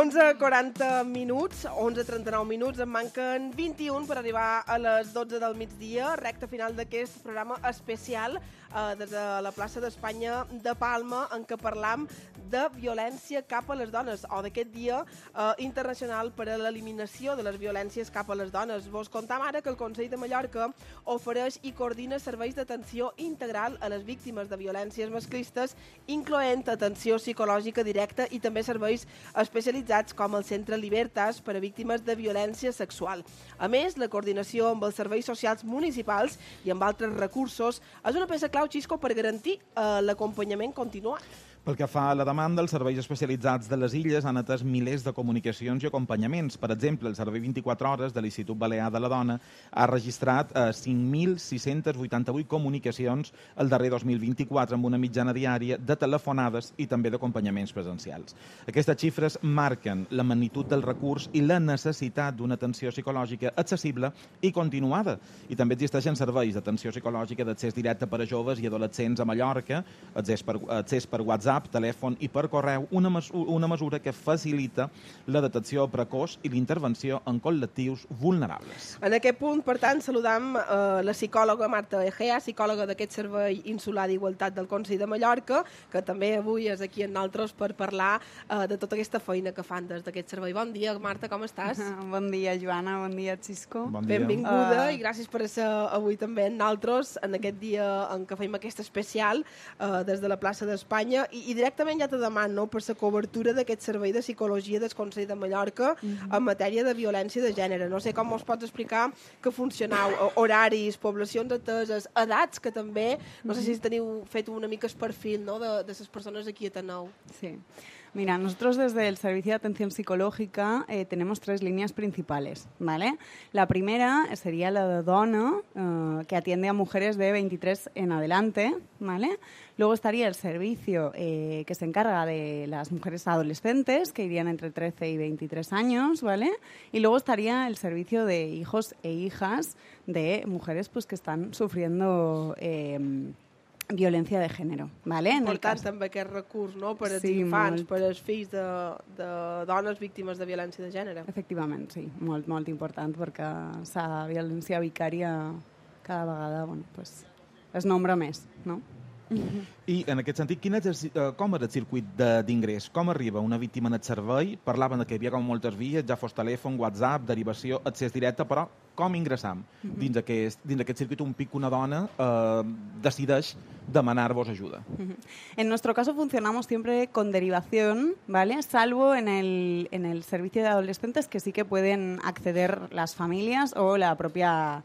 Speaker 2: Onze 40 minuts, 11:39 minuts, en manquen 21 per arribar a les 12 del migdia, recta final d'aquest programa especial des de la plaça d'Espanya de Palma, en què parlam de violència cap a les dones, o d'aquest dia internacional per a l'eliminació de les violències cap a les dones. Vos contam ara que el Consell de Mallorca ofereix i coordina serveis d'atenció integral a les víctimes de violències masclistes, incloent atenció psicològica directa i també serveis especialitzats com el Centre Libertas per a víctimes de violència sexual. A més, la coordinació amb els serveis socials municipals i amb altres recursos és una peça clau, Xisco, per garantir l'acompanyament continuat.
Speaker 3: Pel que fa a la demanda, els serveis especialitzats de les Illes han atès milers de comunicacions i acompanyaments. Per exemple, el Servei 24 Hores de l'Institut Balear de la Dona ha registrat 5.688 comunicacions el darrer 2024, amb una mitjana diària de telefonades i també d'acompanyaments presencials. Aquestes xifres marquen la magnitud del recurs i la necessitat d'una atenció psicològica accessible i continuada. I també existeixen serveis d'atenció psicològica d'accés directe per a joves i adolescents a Mallorca, accés per WhatsApp, telèfon i per correu, una mesura que facilita la detecció precoç i l'intervenció en col·lectius vulnerables.
Speaker 2: En aquest punt, per tant, saludam la psicòloga Marta Egea, psicòloga d'aquest Servei Insular d'Igualtat del Consell de Mallorca, que també avui és aquí amb nosaltres per parlar de tota aquesta feina que fan des d'aquest servei. Bon dia, Marta, com estàs?
Speaker 18: Bon dia, Joana, bon dia, Xisco.
Speaker 3: Bon dia.
Speaker 2: Benvinguda i gràcies per ser avui també amb nosaltres en aquest dia en què fem aquest especial des de la plaça d'Espanya. I directament ja te demano per la cobertura d'aquest servei de psicologia del Consell de Mallorca en matèria de violència de gènere. No sé com us pots explicar que funcioneu, horaris, poblacions ateses, edats, que també, no sé si teniu fet una mica el perfil, no, de les persones aquí a Teneu.
Speaker 18: Sí. Mira, nosotros desde el Servicio de Atención Psicológica tenemos 3 líneas principales, ¿vale? La primera sería la de Dona, que atiende a mujeres de 23 en adelante, ¿vale? Luego estaría el servicio que se encarga de las mujeres adolescentes, que irían entre 13 y 23 años, ¿vale? Y luego estaría el servicio de hijos e hijas de mujeres pues que están sufriendo violència de gènere, ¿vale?
Speaker 2: Important també aquest recurs, no?, per als infants, per als fills de dones víctimes de violència de gènere.
Speaker 18: Efectivament, sí, molt, molt important, perquè la violència vicària cada vegada, bueno, pues, es nombra més, no?
Speaker 3: I en aquest sentit, com és el circuit d'ingrés? Com arriba una víctima en el servei? Parlaven que hi havia com moltes vies, ja fos telèfon, WhatsApp, derivació, accés directe, però com ingressam dins aquest circuit un pic que una dona decideix demanar-vos ayuda?
Speaker 18: En nuestro caso funcionamos siempre con derivación, ¿vale? Salvo en el servicio de adolescentes, que sí que pueden acceder las familias o la propia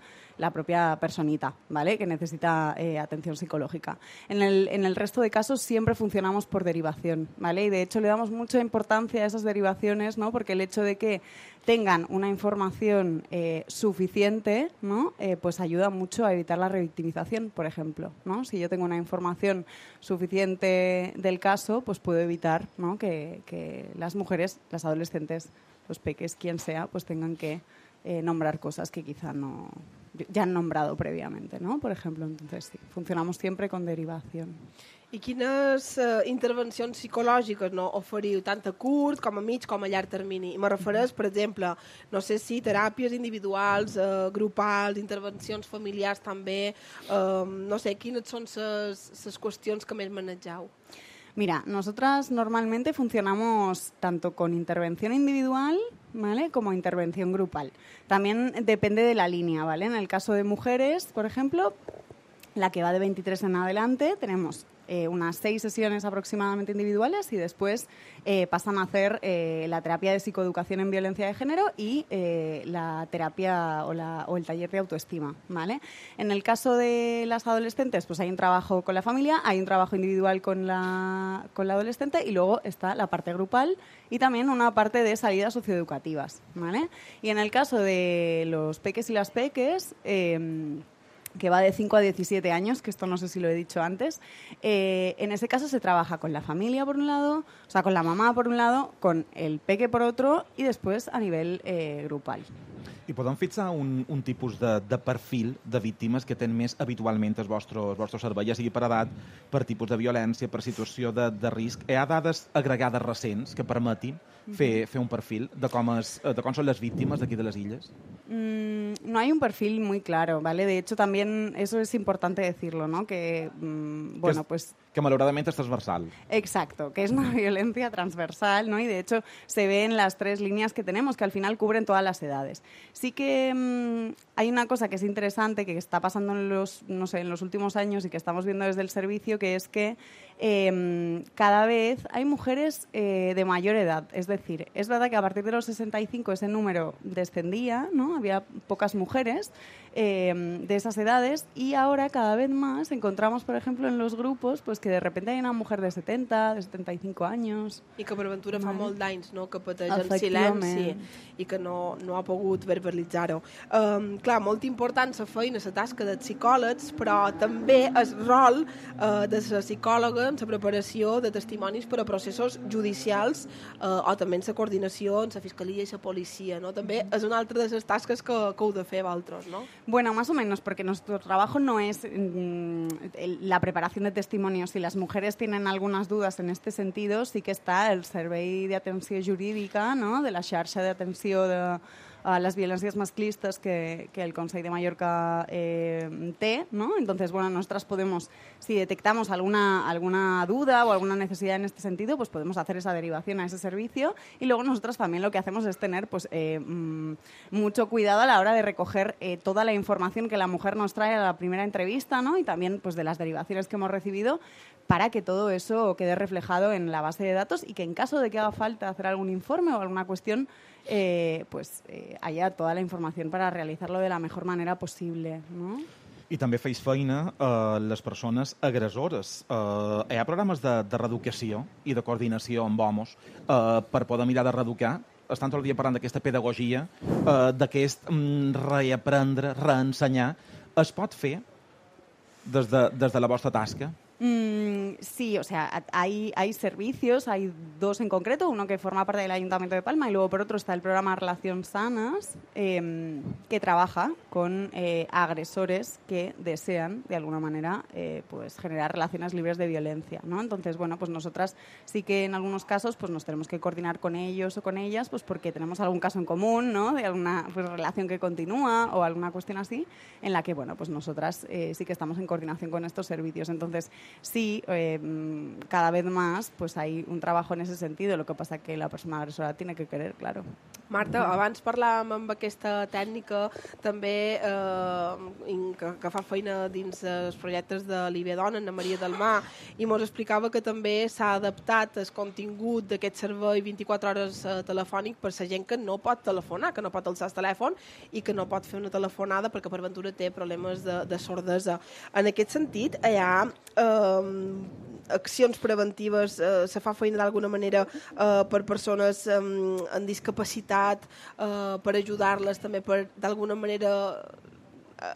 Speaker 18: personita, ¿vale?, que necesita atención psicológica. En el resto de casos siempre funcionamos por derivación, ¿vale? Y de hecho le damos mucha importancia a esas derivaciones, ¿no?, porque el hecho de que tengan una información suficiente, ¿no?, pues ayuda mucho a evitar la revictimización, por ejemplo, ¿no? Si yo tengo una información suficiente del caso, pues puedo evitar, ¿no?, que las mujeres, las adolescentes, los peques, quien sea, pues tengan que nombrar cosas que quizá no ya han nombrado previamente, ¿no? Por ejemplo, entonces sí, funcionamos siempre con derivación.
Speaker 2: I quines intervencions psicològiques oferiu, tant a curt com a mig com a llarg termini? Me refereix, per exemple, no sé si teràpies individuals, grupals, intervencions familiars també, no sé, quines són les qüestions que més manegeu?
Speaker 18: Mira, nosotras normalmente funcionamos tanto con intervención individual, ¿vale?, como intervención grupal. También depende de la línea, ¿vale? En el caso de mujeres, por ejemplo, la que va de 23 en adelante, tenemos unas 6 sesiones aproximadamente individuales y después pasan a hacer la terapia de psicoeducación en violencia de género y la terapia o el taller de autoestima, ¿vale? En el caso de las adolescentes, pues hay un trabajo con la familia, hay un trabajo individual con la adolescente y luego está la parte grupal y también una parte de salidas socioeducativas, ¿vale? Y en el caso de los peques y las peques, que va de 5 a 17 años, que esto no sé si lo he dicho antes, en ese caso se trabaja con la familia por un lado, o sea, con la mamá por un lado, con el peque por otro y después a nivel grupal.
Speaker 3: I podem fixar un tipus de perfil de víctimes que tenen més habitualment el vostre servei, ja sigui per edat, per tipus de violència, per situació de risc. Hi ha dades agregades recents que permetin fer un perfil de com són les víctimes d'aquí de les illes?
Speaker 18: No hay un perfil muy claro, ¿vale? De hecho, también eso es importante decirlo, ¿no? Que, bueno, pues...
Speaker 3: Que malauradament és transversal.
Speaker 18: Exacto, que es una violencia transversal, ¿no? Y de hecho se ve en las 3 líneas que tenemos, que al final cubren todas las edades. Sí que hay una cosa que es interesante, que está pasando en los últimos años y que estamos viendo desde el servicio, que es que cada vez hay mujeres de mayor edad. Es decir, es verdad que a partir de los 65 ese número descendía, ¿no? Había pocas mujeres de esas edades y ahora cada vez más encontramos, por ejemplo, en los grupos, pues que de repente hay una mujer de 70, de 75 años.
Speaker 2: I que per aventura fa molt d'anys, no?, que pateix en silenci i que no ha pogut verbalitzar-ho. Clar, molt important la feina, la tasca dels psicòlegs, però també el rol de la psicòloga en la preparació de testimonis per a processos judicials o també en la coordinació en la fiscalia i la policia, no? També és una altra de les tasques que heu de fer vosaltres, no?
Speaker 18: Bueno, más o menos, porque nuestro trabajo no es la preparación de testimonios. Si las mujeres tienen algunas dudas en este sentido, sí que está el Servei d'Atenció Jurídica, ¿no?, de la xarxa d'atenció a las violencias masclistas que el Consell de Mallorca té, ¿no? Entonces, bueno, nosotras podemos, si detectamos alguna duda o alguna necesidad en este sentido, pues podemos hacer esa derivación a ese servicio y luego nosotras también lo que hacemos es tener pues mucho cuidado a la hora de recoger toda la información que la mujer nos trae a la primera entrevista, ¿no? Y también pues de las derivaciones que hemos recibido para que todo eso quede reflejado en la base de datos y que en caso de que haga falta hacer algún informe o alguna cuestión, haya toda la información para realizarlo de la mejor manera posible, ¿no?
Speaker 3: I també feis feina a les persones agressores. Hi ha programes de reeducació i de coordinació amb homes per poder mirar de reeducar. Estan tot el dia parlant d'aquesta pedagogia, d'aquest reaprendre, reensenyar. Es pot fer des de la vostra tasca?
Speaker 18: Sí, o sea, hay servicios, hay 2 en concreto, uno que forma parte del Ayuntamiento de Palma y luego por otro está el programa Relaciones Sanas, que trabaja con agresores que desean, de alguna manera, pues generar relaciones libres de violencia, ¿no? Entonces, bueno, pues nosotras sí que en algunos casos pues nos tenemos que coordinar con ellos o con ellas, pues porque tenemos algún caso en común, ¿no?, de alguna pues, relación que continúa o alguna cuestión así, en la que, bueno, pues nosotras sí que estamos en coordinación con estos servicios. Entonces, sí, cada vez más pues hay un trabajo en ese sentido, lo que pasa que la persona agresora tiene que querer, claro.
Speaker 2: Marta, abans parlàvem amb aquesta tècnica també que fa feina dins els projectes de l'IB Dona, Anna Maria del Mar, i ens explicava que també s'ha adaptat el contingut d'aquest servei 24 hores telefònic per la gent que no pot telefonar, que no pot alçar el telèfon i que no pot fer una telefonada perquè per ventura té problemes de sordesa. En aquest sentit, hi ha accions preventives, se fa feina d'alguna manera per persones amb discapacitat, per ajudar-les també, per d'alguna manera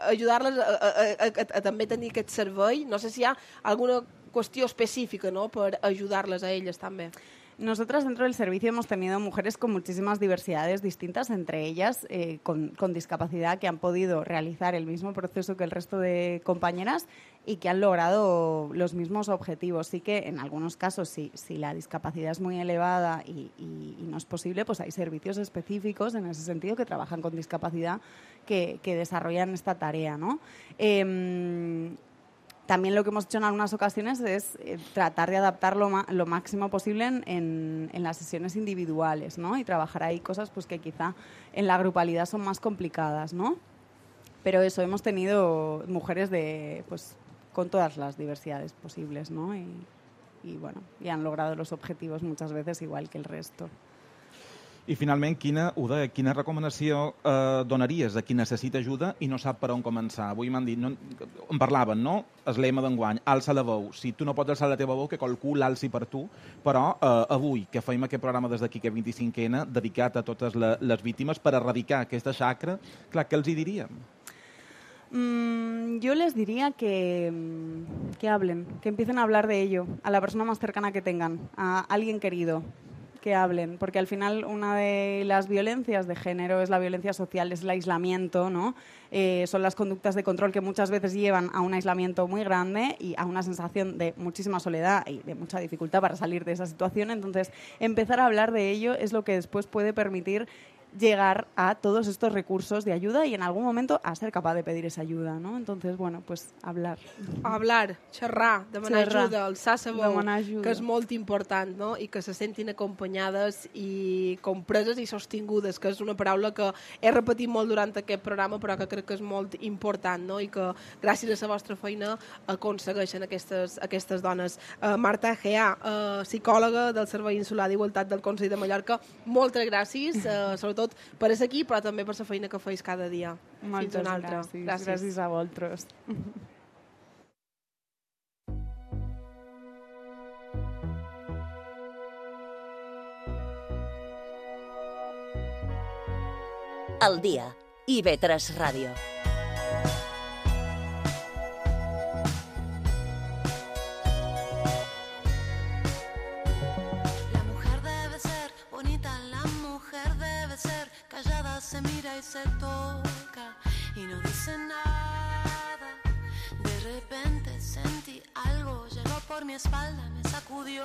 Speaker 2: ajudar-les a també tenir aquest servei. No sé si hi ha alguna qüestió específica, no?, per ajudar-les a elles també.
Speaker 18: Nosotras dentro del servicio hemos tenido mujeres con muchísimas diversidades distintas, entre ellas con discapacidad, que han podido realizar el mismo proceso que el resto de compañeras y que han logrado los mismos objetivos. Sí que en algunos casos, si la discapacidad es muy elevada y no es posible, pues hay servicios específicos en ese sentido que trabajan con discapacidad que desarrollan esta tarea, ¿no? También lo que hemos hecho en algunas ocasiones es tratar de adaptarlo lo máximo posible en las sesiones individuales, ¿no? Y trabajar ahí cosas pues que quizá en la grupalidad son más complicadas, ¿no? Pero eso, hemos tenido mujeres de pues con todas las diversidades posibles, ¿no? Y bueno, y han logrado los objetivos muchas veces igual que el resto.
Speaker 3: I finalment, quina recomanació donaries a qui necessita ajuda i no sap per on començar? Avui m'han dit, en parlaven, no? El lema d'enguany, alça la veu. Si tu no pots alçar la teva veu, que qualcú l'alci per tu, però avui, que feim aquest programa des d'aquí, aquest 25N, dedicat a totes les víctimes per erradicar aquesta xacra, clar, què els hi diríem?
Speaker 18: Yo les diría que hablen, que empiecen a hablar de ello, a la persona más cercana que tengan, a alguien querido, que hablen, porque al final una de las violencias de género es la violencia social, es el aislamiento, ¿no? Son las conductas de control que muchas veces llevan a un aislamiento muy grande y a una sensación de muchísima soledad y de mucha dificultad para salir de esa situación. Entonces, empezar a hablar de ello es lo que después puede permitir llegar a todos estos recursos de ayuda y en algún momento a ser capaz de pedir esa ayuda, ¿no? Entonces, bueno, pues hablar.
Speaker 2: Hablar, xerrar, demanar ajuda, alçar sa veu,
Speaker 18: ajuda,
Speaker 2: que és molt important, no? I que se sentin acompanyades i compreses i sostingudes, que és una paraula que he repetit molt durant aquest programa, però que crec que és molt important, no? I que gràcies a la vostra feina aconsegueixen aquestes dones. Marta Egea, psicòloga del Servei Insular d'Igualtat del Consell de Mallorca, moltes gràcies, sobretot per ser aquí, però també per la feina que feis cada dia.
Speaker 18: Moltes
Speaker 2: Fins una altra.
Speaker 18: gràcies. Gràcies a vosaltres.
Speaker 1: Al dia, IB3 Ràdio.
Speaker 4: Se mira y se toca y no dice nada. De repente sentí algo, llegó por mi espalda, me sacudió.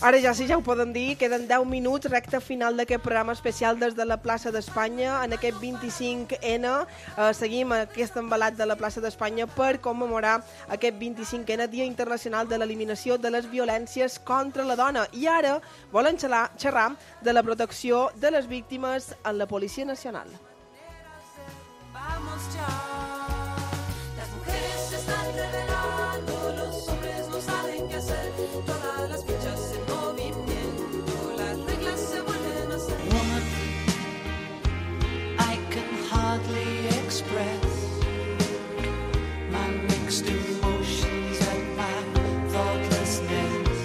Speaker 2: Ara ja sí, ja ho poden dir, queden 10 minuts, recta final d'aquest programa especial des de la plaça d'Espanya, en aquest 25N. Seguim aquest embalat de la plaça d'Espanya per commemorar aquest 25N, Dia Internacional de l'Eliminació de les Violències contra la Dona. I ara volen xerrar de la protecció de les víctimes en la Policia Nacional.
Speaker 4: Vamos ya, las mujeres se están revelando, los hombres no saben qué hacer, todas las fichas en movimiento, las reglas se vuelven a hacer. Woman, I can hardly express my mixed emotions and my thoughtlessness.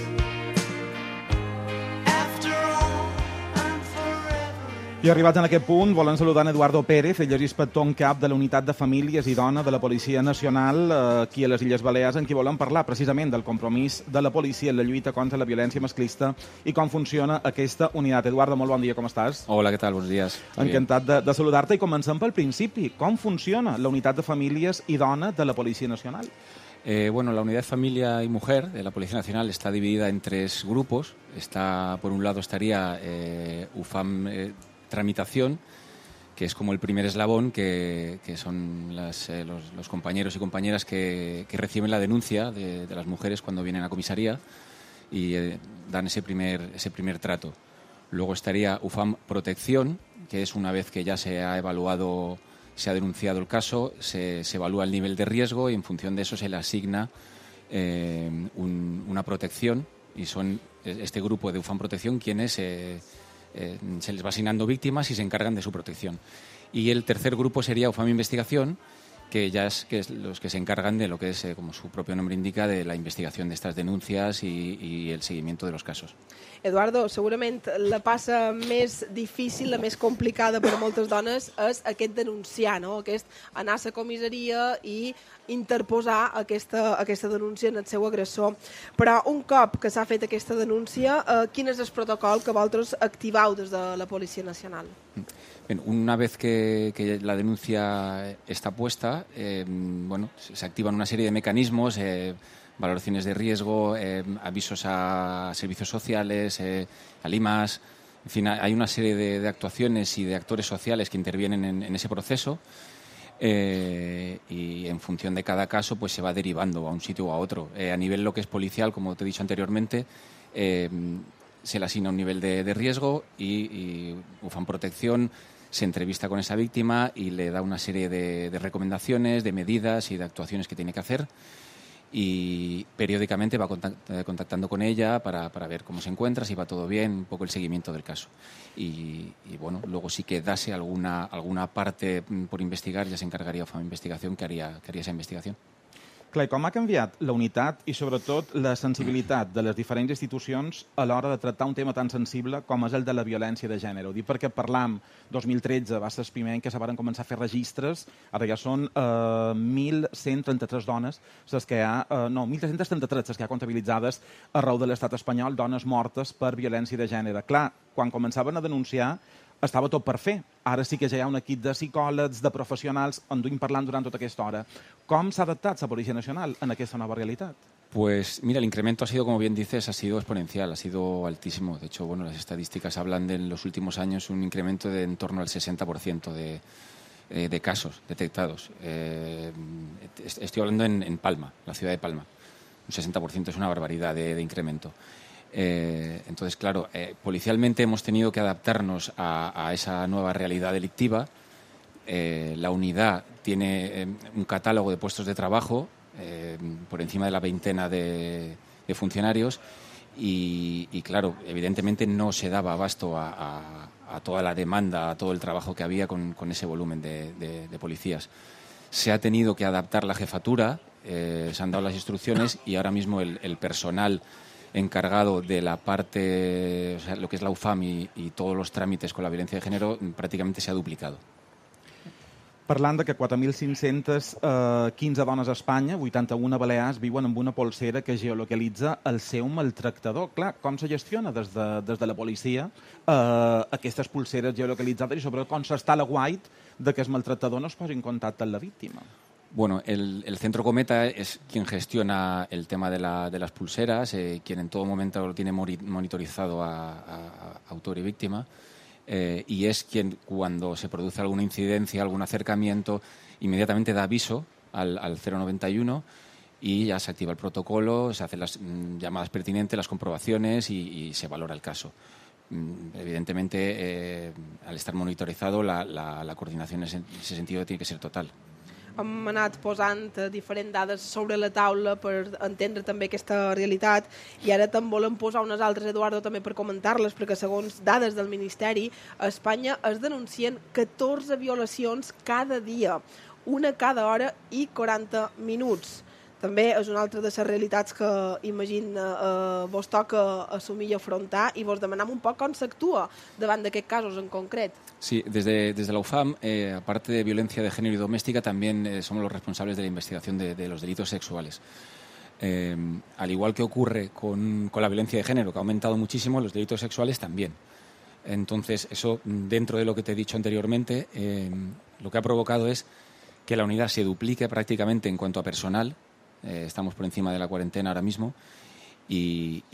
Speaker 4: After all, I'm forever.
Speaker 3: I arribats en aquest punt, volen saludar en Eduardo Pérez, ell és inspector en cap de la Unitat de Famílies i Dona de la Policia Nacional aquí a les Illes Balears, en qui volen parlar precisament del compromís de la policia en la lluita contra la violència masclista i com funciona aquesta unitat. Eduardo, molt bon dia, com estàs?
Speaker 19: Hola, ¿qué tal? Buenos días.
Speaker 3: Encantat de saludar-te i comencem pel principi. Com funciona la Unitat de Famílies i Dona de la Policia Nacional?
Speaker 19: Bueno, la Unidad de Familia y Mujer de la Policía Nacional está dividida en 3 grupos. Por un lado estaría UFAM Tramitación, que es como el primer eslabón, que son los compañeros y compañeras que reciben la denuncia de las mujeres cuando vienen a comisaría y dan ese primer trato. Luego estaría UFAM Protección, que es una vez que ya se ha evaluado, se ha denunciado el caso, se evalúa el nivel de riesgo y en función de eso se le asigna una protección, y son este grupo de UFAM Protección quienes se les va asignando víctimas y se encargan de su protección. Y el tercer grupo sería UFAM Investigación, que es los que se encargan de lo que es, como su propio nombre indica, de la investigación de estas denuncias y el seguimiento de los casos.
Speaker 2: Eduardo, segurament la passa més difícil, la més complicada per a moltes dones és aquest denunciar, no? Aquest anar a la comissaria i interposar aquesta denúncia en el seu agressor. Però un cop que s'ha fet aquesta denúncia, quin és el protocol que vosaltres activeu des de la Policia Nacional?
Speaker 19: Bien, una vez que la denuncia está puesta, se activan una serie de mecanismos, valoraciones de riesgo, avisos a servicios sociales, al IMAS. En fin, hay una serie de actuaciones y de actores sociales que intervienen en ese proceso y en función de cada caso pues se va derivando a un sitio o a otro. A nivel lo que es policial, como te he dicho anteriormente, se le asigna un nivel de riesgo y UFAM Protección se entrevista con esa víctima y le da una serie de recomendaciones, de medidas y de actuaciones que tiene que hacer. y periódicamente va contactando con ella para ver cómo se encuentra, si va todo bien, un poco el seguimiento del caso. Y bueno, luego sí que dase alguna parte por investigar, ja s'encargaria UFAM Investigació que haria esa investigació.
Speaker 3: Clar, com ha canviat la unitat i, sobretot, la sensibilitat de les diferents institucions a l'hora de tractar un tema tan sensible com és el de la violència de gènere? Ho dic perquè parlam, 2013 va ser el primer any que se van començar a fer registres, ara ja són 1.133 dones, les que hi ha, 1.333 les que hi ha comptabilitzades arreu de l'estat espanyol, dones mortes per violència de gènere. Clar, quan començaven a denunciar, estava tot per fer. Ara sí que ja hi ha un equip de psicòlegs, de professionals, en duim parlant durant tota aquesta hora. Com s'ha adaptat la Policia Nacional en aquesta nova realitat?
Speaker 19: Pues mira, el incremento ha sido, como bien dices, ha sido exponencial, ha sido altísimo. De hecho, bueno, las estadísticas hablan de en los últimos años un incremento de en torno al 60% de casos detectados. Estoy hablando en Palma, la ciudad de Palma. Un 60% es una barbaridad de incremento. Entonces, claro, policialmente hemos tenido que adaptarnos a esa nueva realidad delictiva. La unidad tiene un catálogo de puestos de trabajo por encima de la veintena de funcionarios y, claro, evidentemente no se daba abasto a toda la demanda, a todo el trabajo que había con ese volumen de policías. Se ha tenido que adaptar la jefatura, se han dado las instrucciones y ahora mismo el personal encargado de la parte, o sea, lo que es la UFAM y todos los trámites con la violencia de género prácticamente se ha duplicado.
Speaker 3: Parlant de que 4.515 dones a Espanya, 81 balears, viuen amb una polsera que geolocalitza el seu maltractador. Clar, com se gestiona des de la policia aquestes polseres geolocalitzades i sobretot com s'està a l'aguait de que el maltractador no es posi en contacte amb la víctima?
Speaker 19: Bueno, el Centro Cometa es quien gestiona el tema de las pulseras, quien en todo momento lo tiene monitorizado a autor y víctima, y es quien, cuando se produce alguna incidencia, algún acercamiento, inmediatamente da aviso al 091 y ya se activa el protocolo, se hacen las llamadas pertinentes, las comprobaciones y se valora el caso. Evidentemente, al estar monitorizado, la coordinación en ese sentido tiene que ser total.
Speaker 2: Hem anat posant diferents dades sobre la taula per entendre també aquesta realitat i ara també volem posar unes altres, Eduardo, també per comentar-les, perquè segons dades del Ministeri, a Espanya es denuncien 14 violacions cada dia, una cada hora i 40 minuts. També és una altra de les realitats que, imagina, vos toca assumir i afrontar i vos demanem un poc com s'actua davant d'aquests casos en concret.
Speaker 19: Sí, desde la UFAM, aparte de violencia de género y doméstica, también somos los responsables de la investigación de los delitos sexuales. Al igual que ocurre con la violencia de género, que ha aumentado muchísimo, los delitos sexuales también. Entonces, eso, dentro de lo que te he dicho anteriormente, lo que ha provocado es que la unidad se duplique prácticamente en cuanto a personal. Estamos por encima de la cuarentena ahora mismo y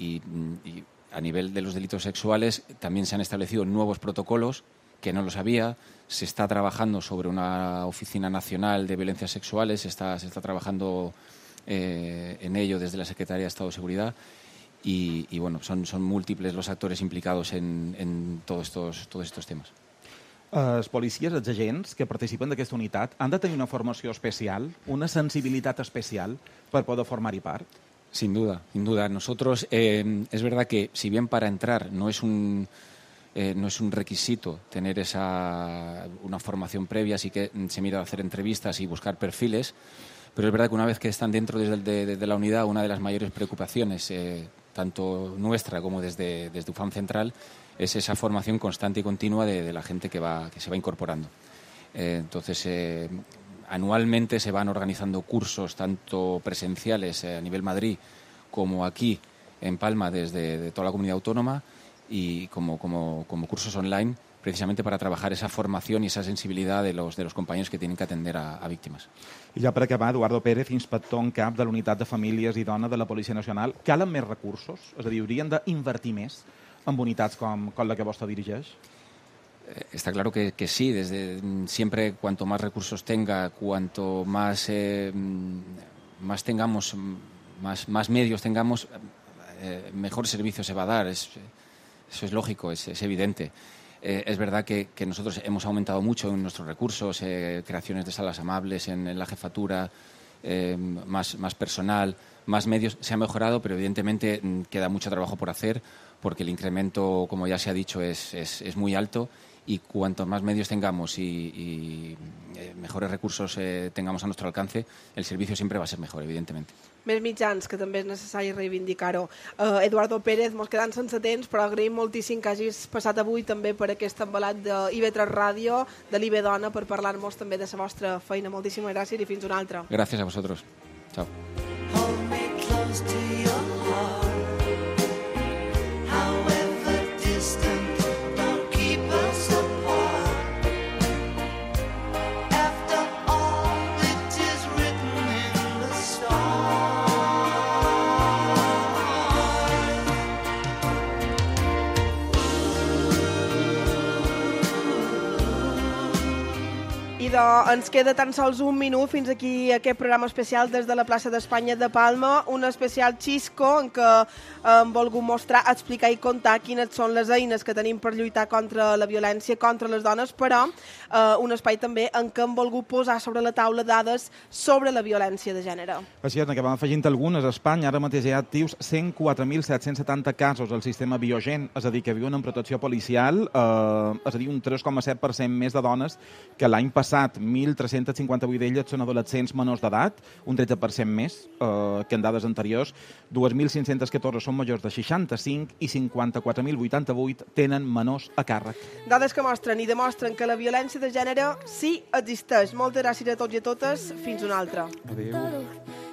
Speaker 19: a nivel de los delitos sexuales también se han establecido nuevos protocolos que no los había. Se está trabajando sobre una oficina nacional de violencias sexuales, se está trabajando en ello desde la Secretaría de Estado de Seguridad y bueno, son múltiples los actores implicados en todos estos temas.
Speaker 3: Els policies, els agents que participen d'aquesta unitat, han de tenir una formació especial, una sensibilitat especial per poder formar-hi part?
Speaker 19: Sin duda, sin duda. Nosotros, es verdad que si bien para entrar no es un requisito tener una formación previa, sí que se mira a hacer entrevistas y buscar perfiles, pero es verdad que una vez que están dentro desde la unidad, una de las mayores preocupaciones, tanto nuestra como desde UFAM Central, es esa formación constante y continua de la gente que se va incorporando. Entonces, anualmente se van organizando cursos tanto presenciales a nivel Madrid como aquí en Palma desde toda la comunidad autónoma y como cursos online, precisamente para trabajar esa formación y esa sensibilidad de los compañeros que tienen que atender a víctimas.
Speaker 3: I ja per acabar, Eduardo Pérez, inspector en cap de la Unitat de Famílies i Dones de la Policia Nacional, calen més recursos? És a dir, haurien d'invertir més en unitats com la que vostè dirigeix?
Speaker 19: Está claro que sí, siempre cuanto más recursos tenga, cuanto más tengamos, más medios tengamos, mejor servicio se va a dar. Eso es lógico, es evidente. Es verdad que nosotros hemos aumentado mucho en nuestros recursos, creaciones de salas amables en la jefatura, más personal, más medios. Se ha mejorado, pero evidentemente queda mucho trabajo por hacer porque el incremento, como ya se ha dicho, es muy alto y cuanto más medios tengamos y mejores recursos tengamos a nuestro alcance, el servicio siempre va a ser mejor, evidentemente.
Speaker 2: Més mitjans, que també és necessari reivindicar-ho. Eduardo Pérez, mos quedant sense temps, però agraïm moltíssim que hagis passat avui també per aquest embalat d'IV3 Ràdio, de l'IB Dona, per parlar-nos també de la vostra feina. Moltíssimes gràcies i fins una altra.
Speaker 19: Gràcies a vosaltres. Chao.
Speaker 2: Ens queda tan sols un minut fins aquí aquest programa especial des de la plaça d'Espanya de Palma, un especial xisco en què hem volgut mostrar, explicar i contar quines són les eines que tenim per lluitar contra la violència contra les dones, però un espai també en què hem volgut posar sobre la taula dades sobre la violència de gènere.
Speaker 3: Així és, que vam afegint algunes. A Espanya ara mateix hi ha actius 104.770 casos al sistema Biogen, és a dir, que viuen en protecció policial, és a dir, un 3,7% més de dones que l'any passat. 1.358 d'elles són adolescents menors d'edat, un 13% més que en dades anteriors. 2.514 són majors de 65 i 54.088 tenen menors a càrrec.
Speaker 2: Dades que mostren i demostren que la violència de gènere sí existeix. Moltes gràcies a tots i a totes. Fins una altra.
Speaker 3: Adéu.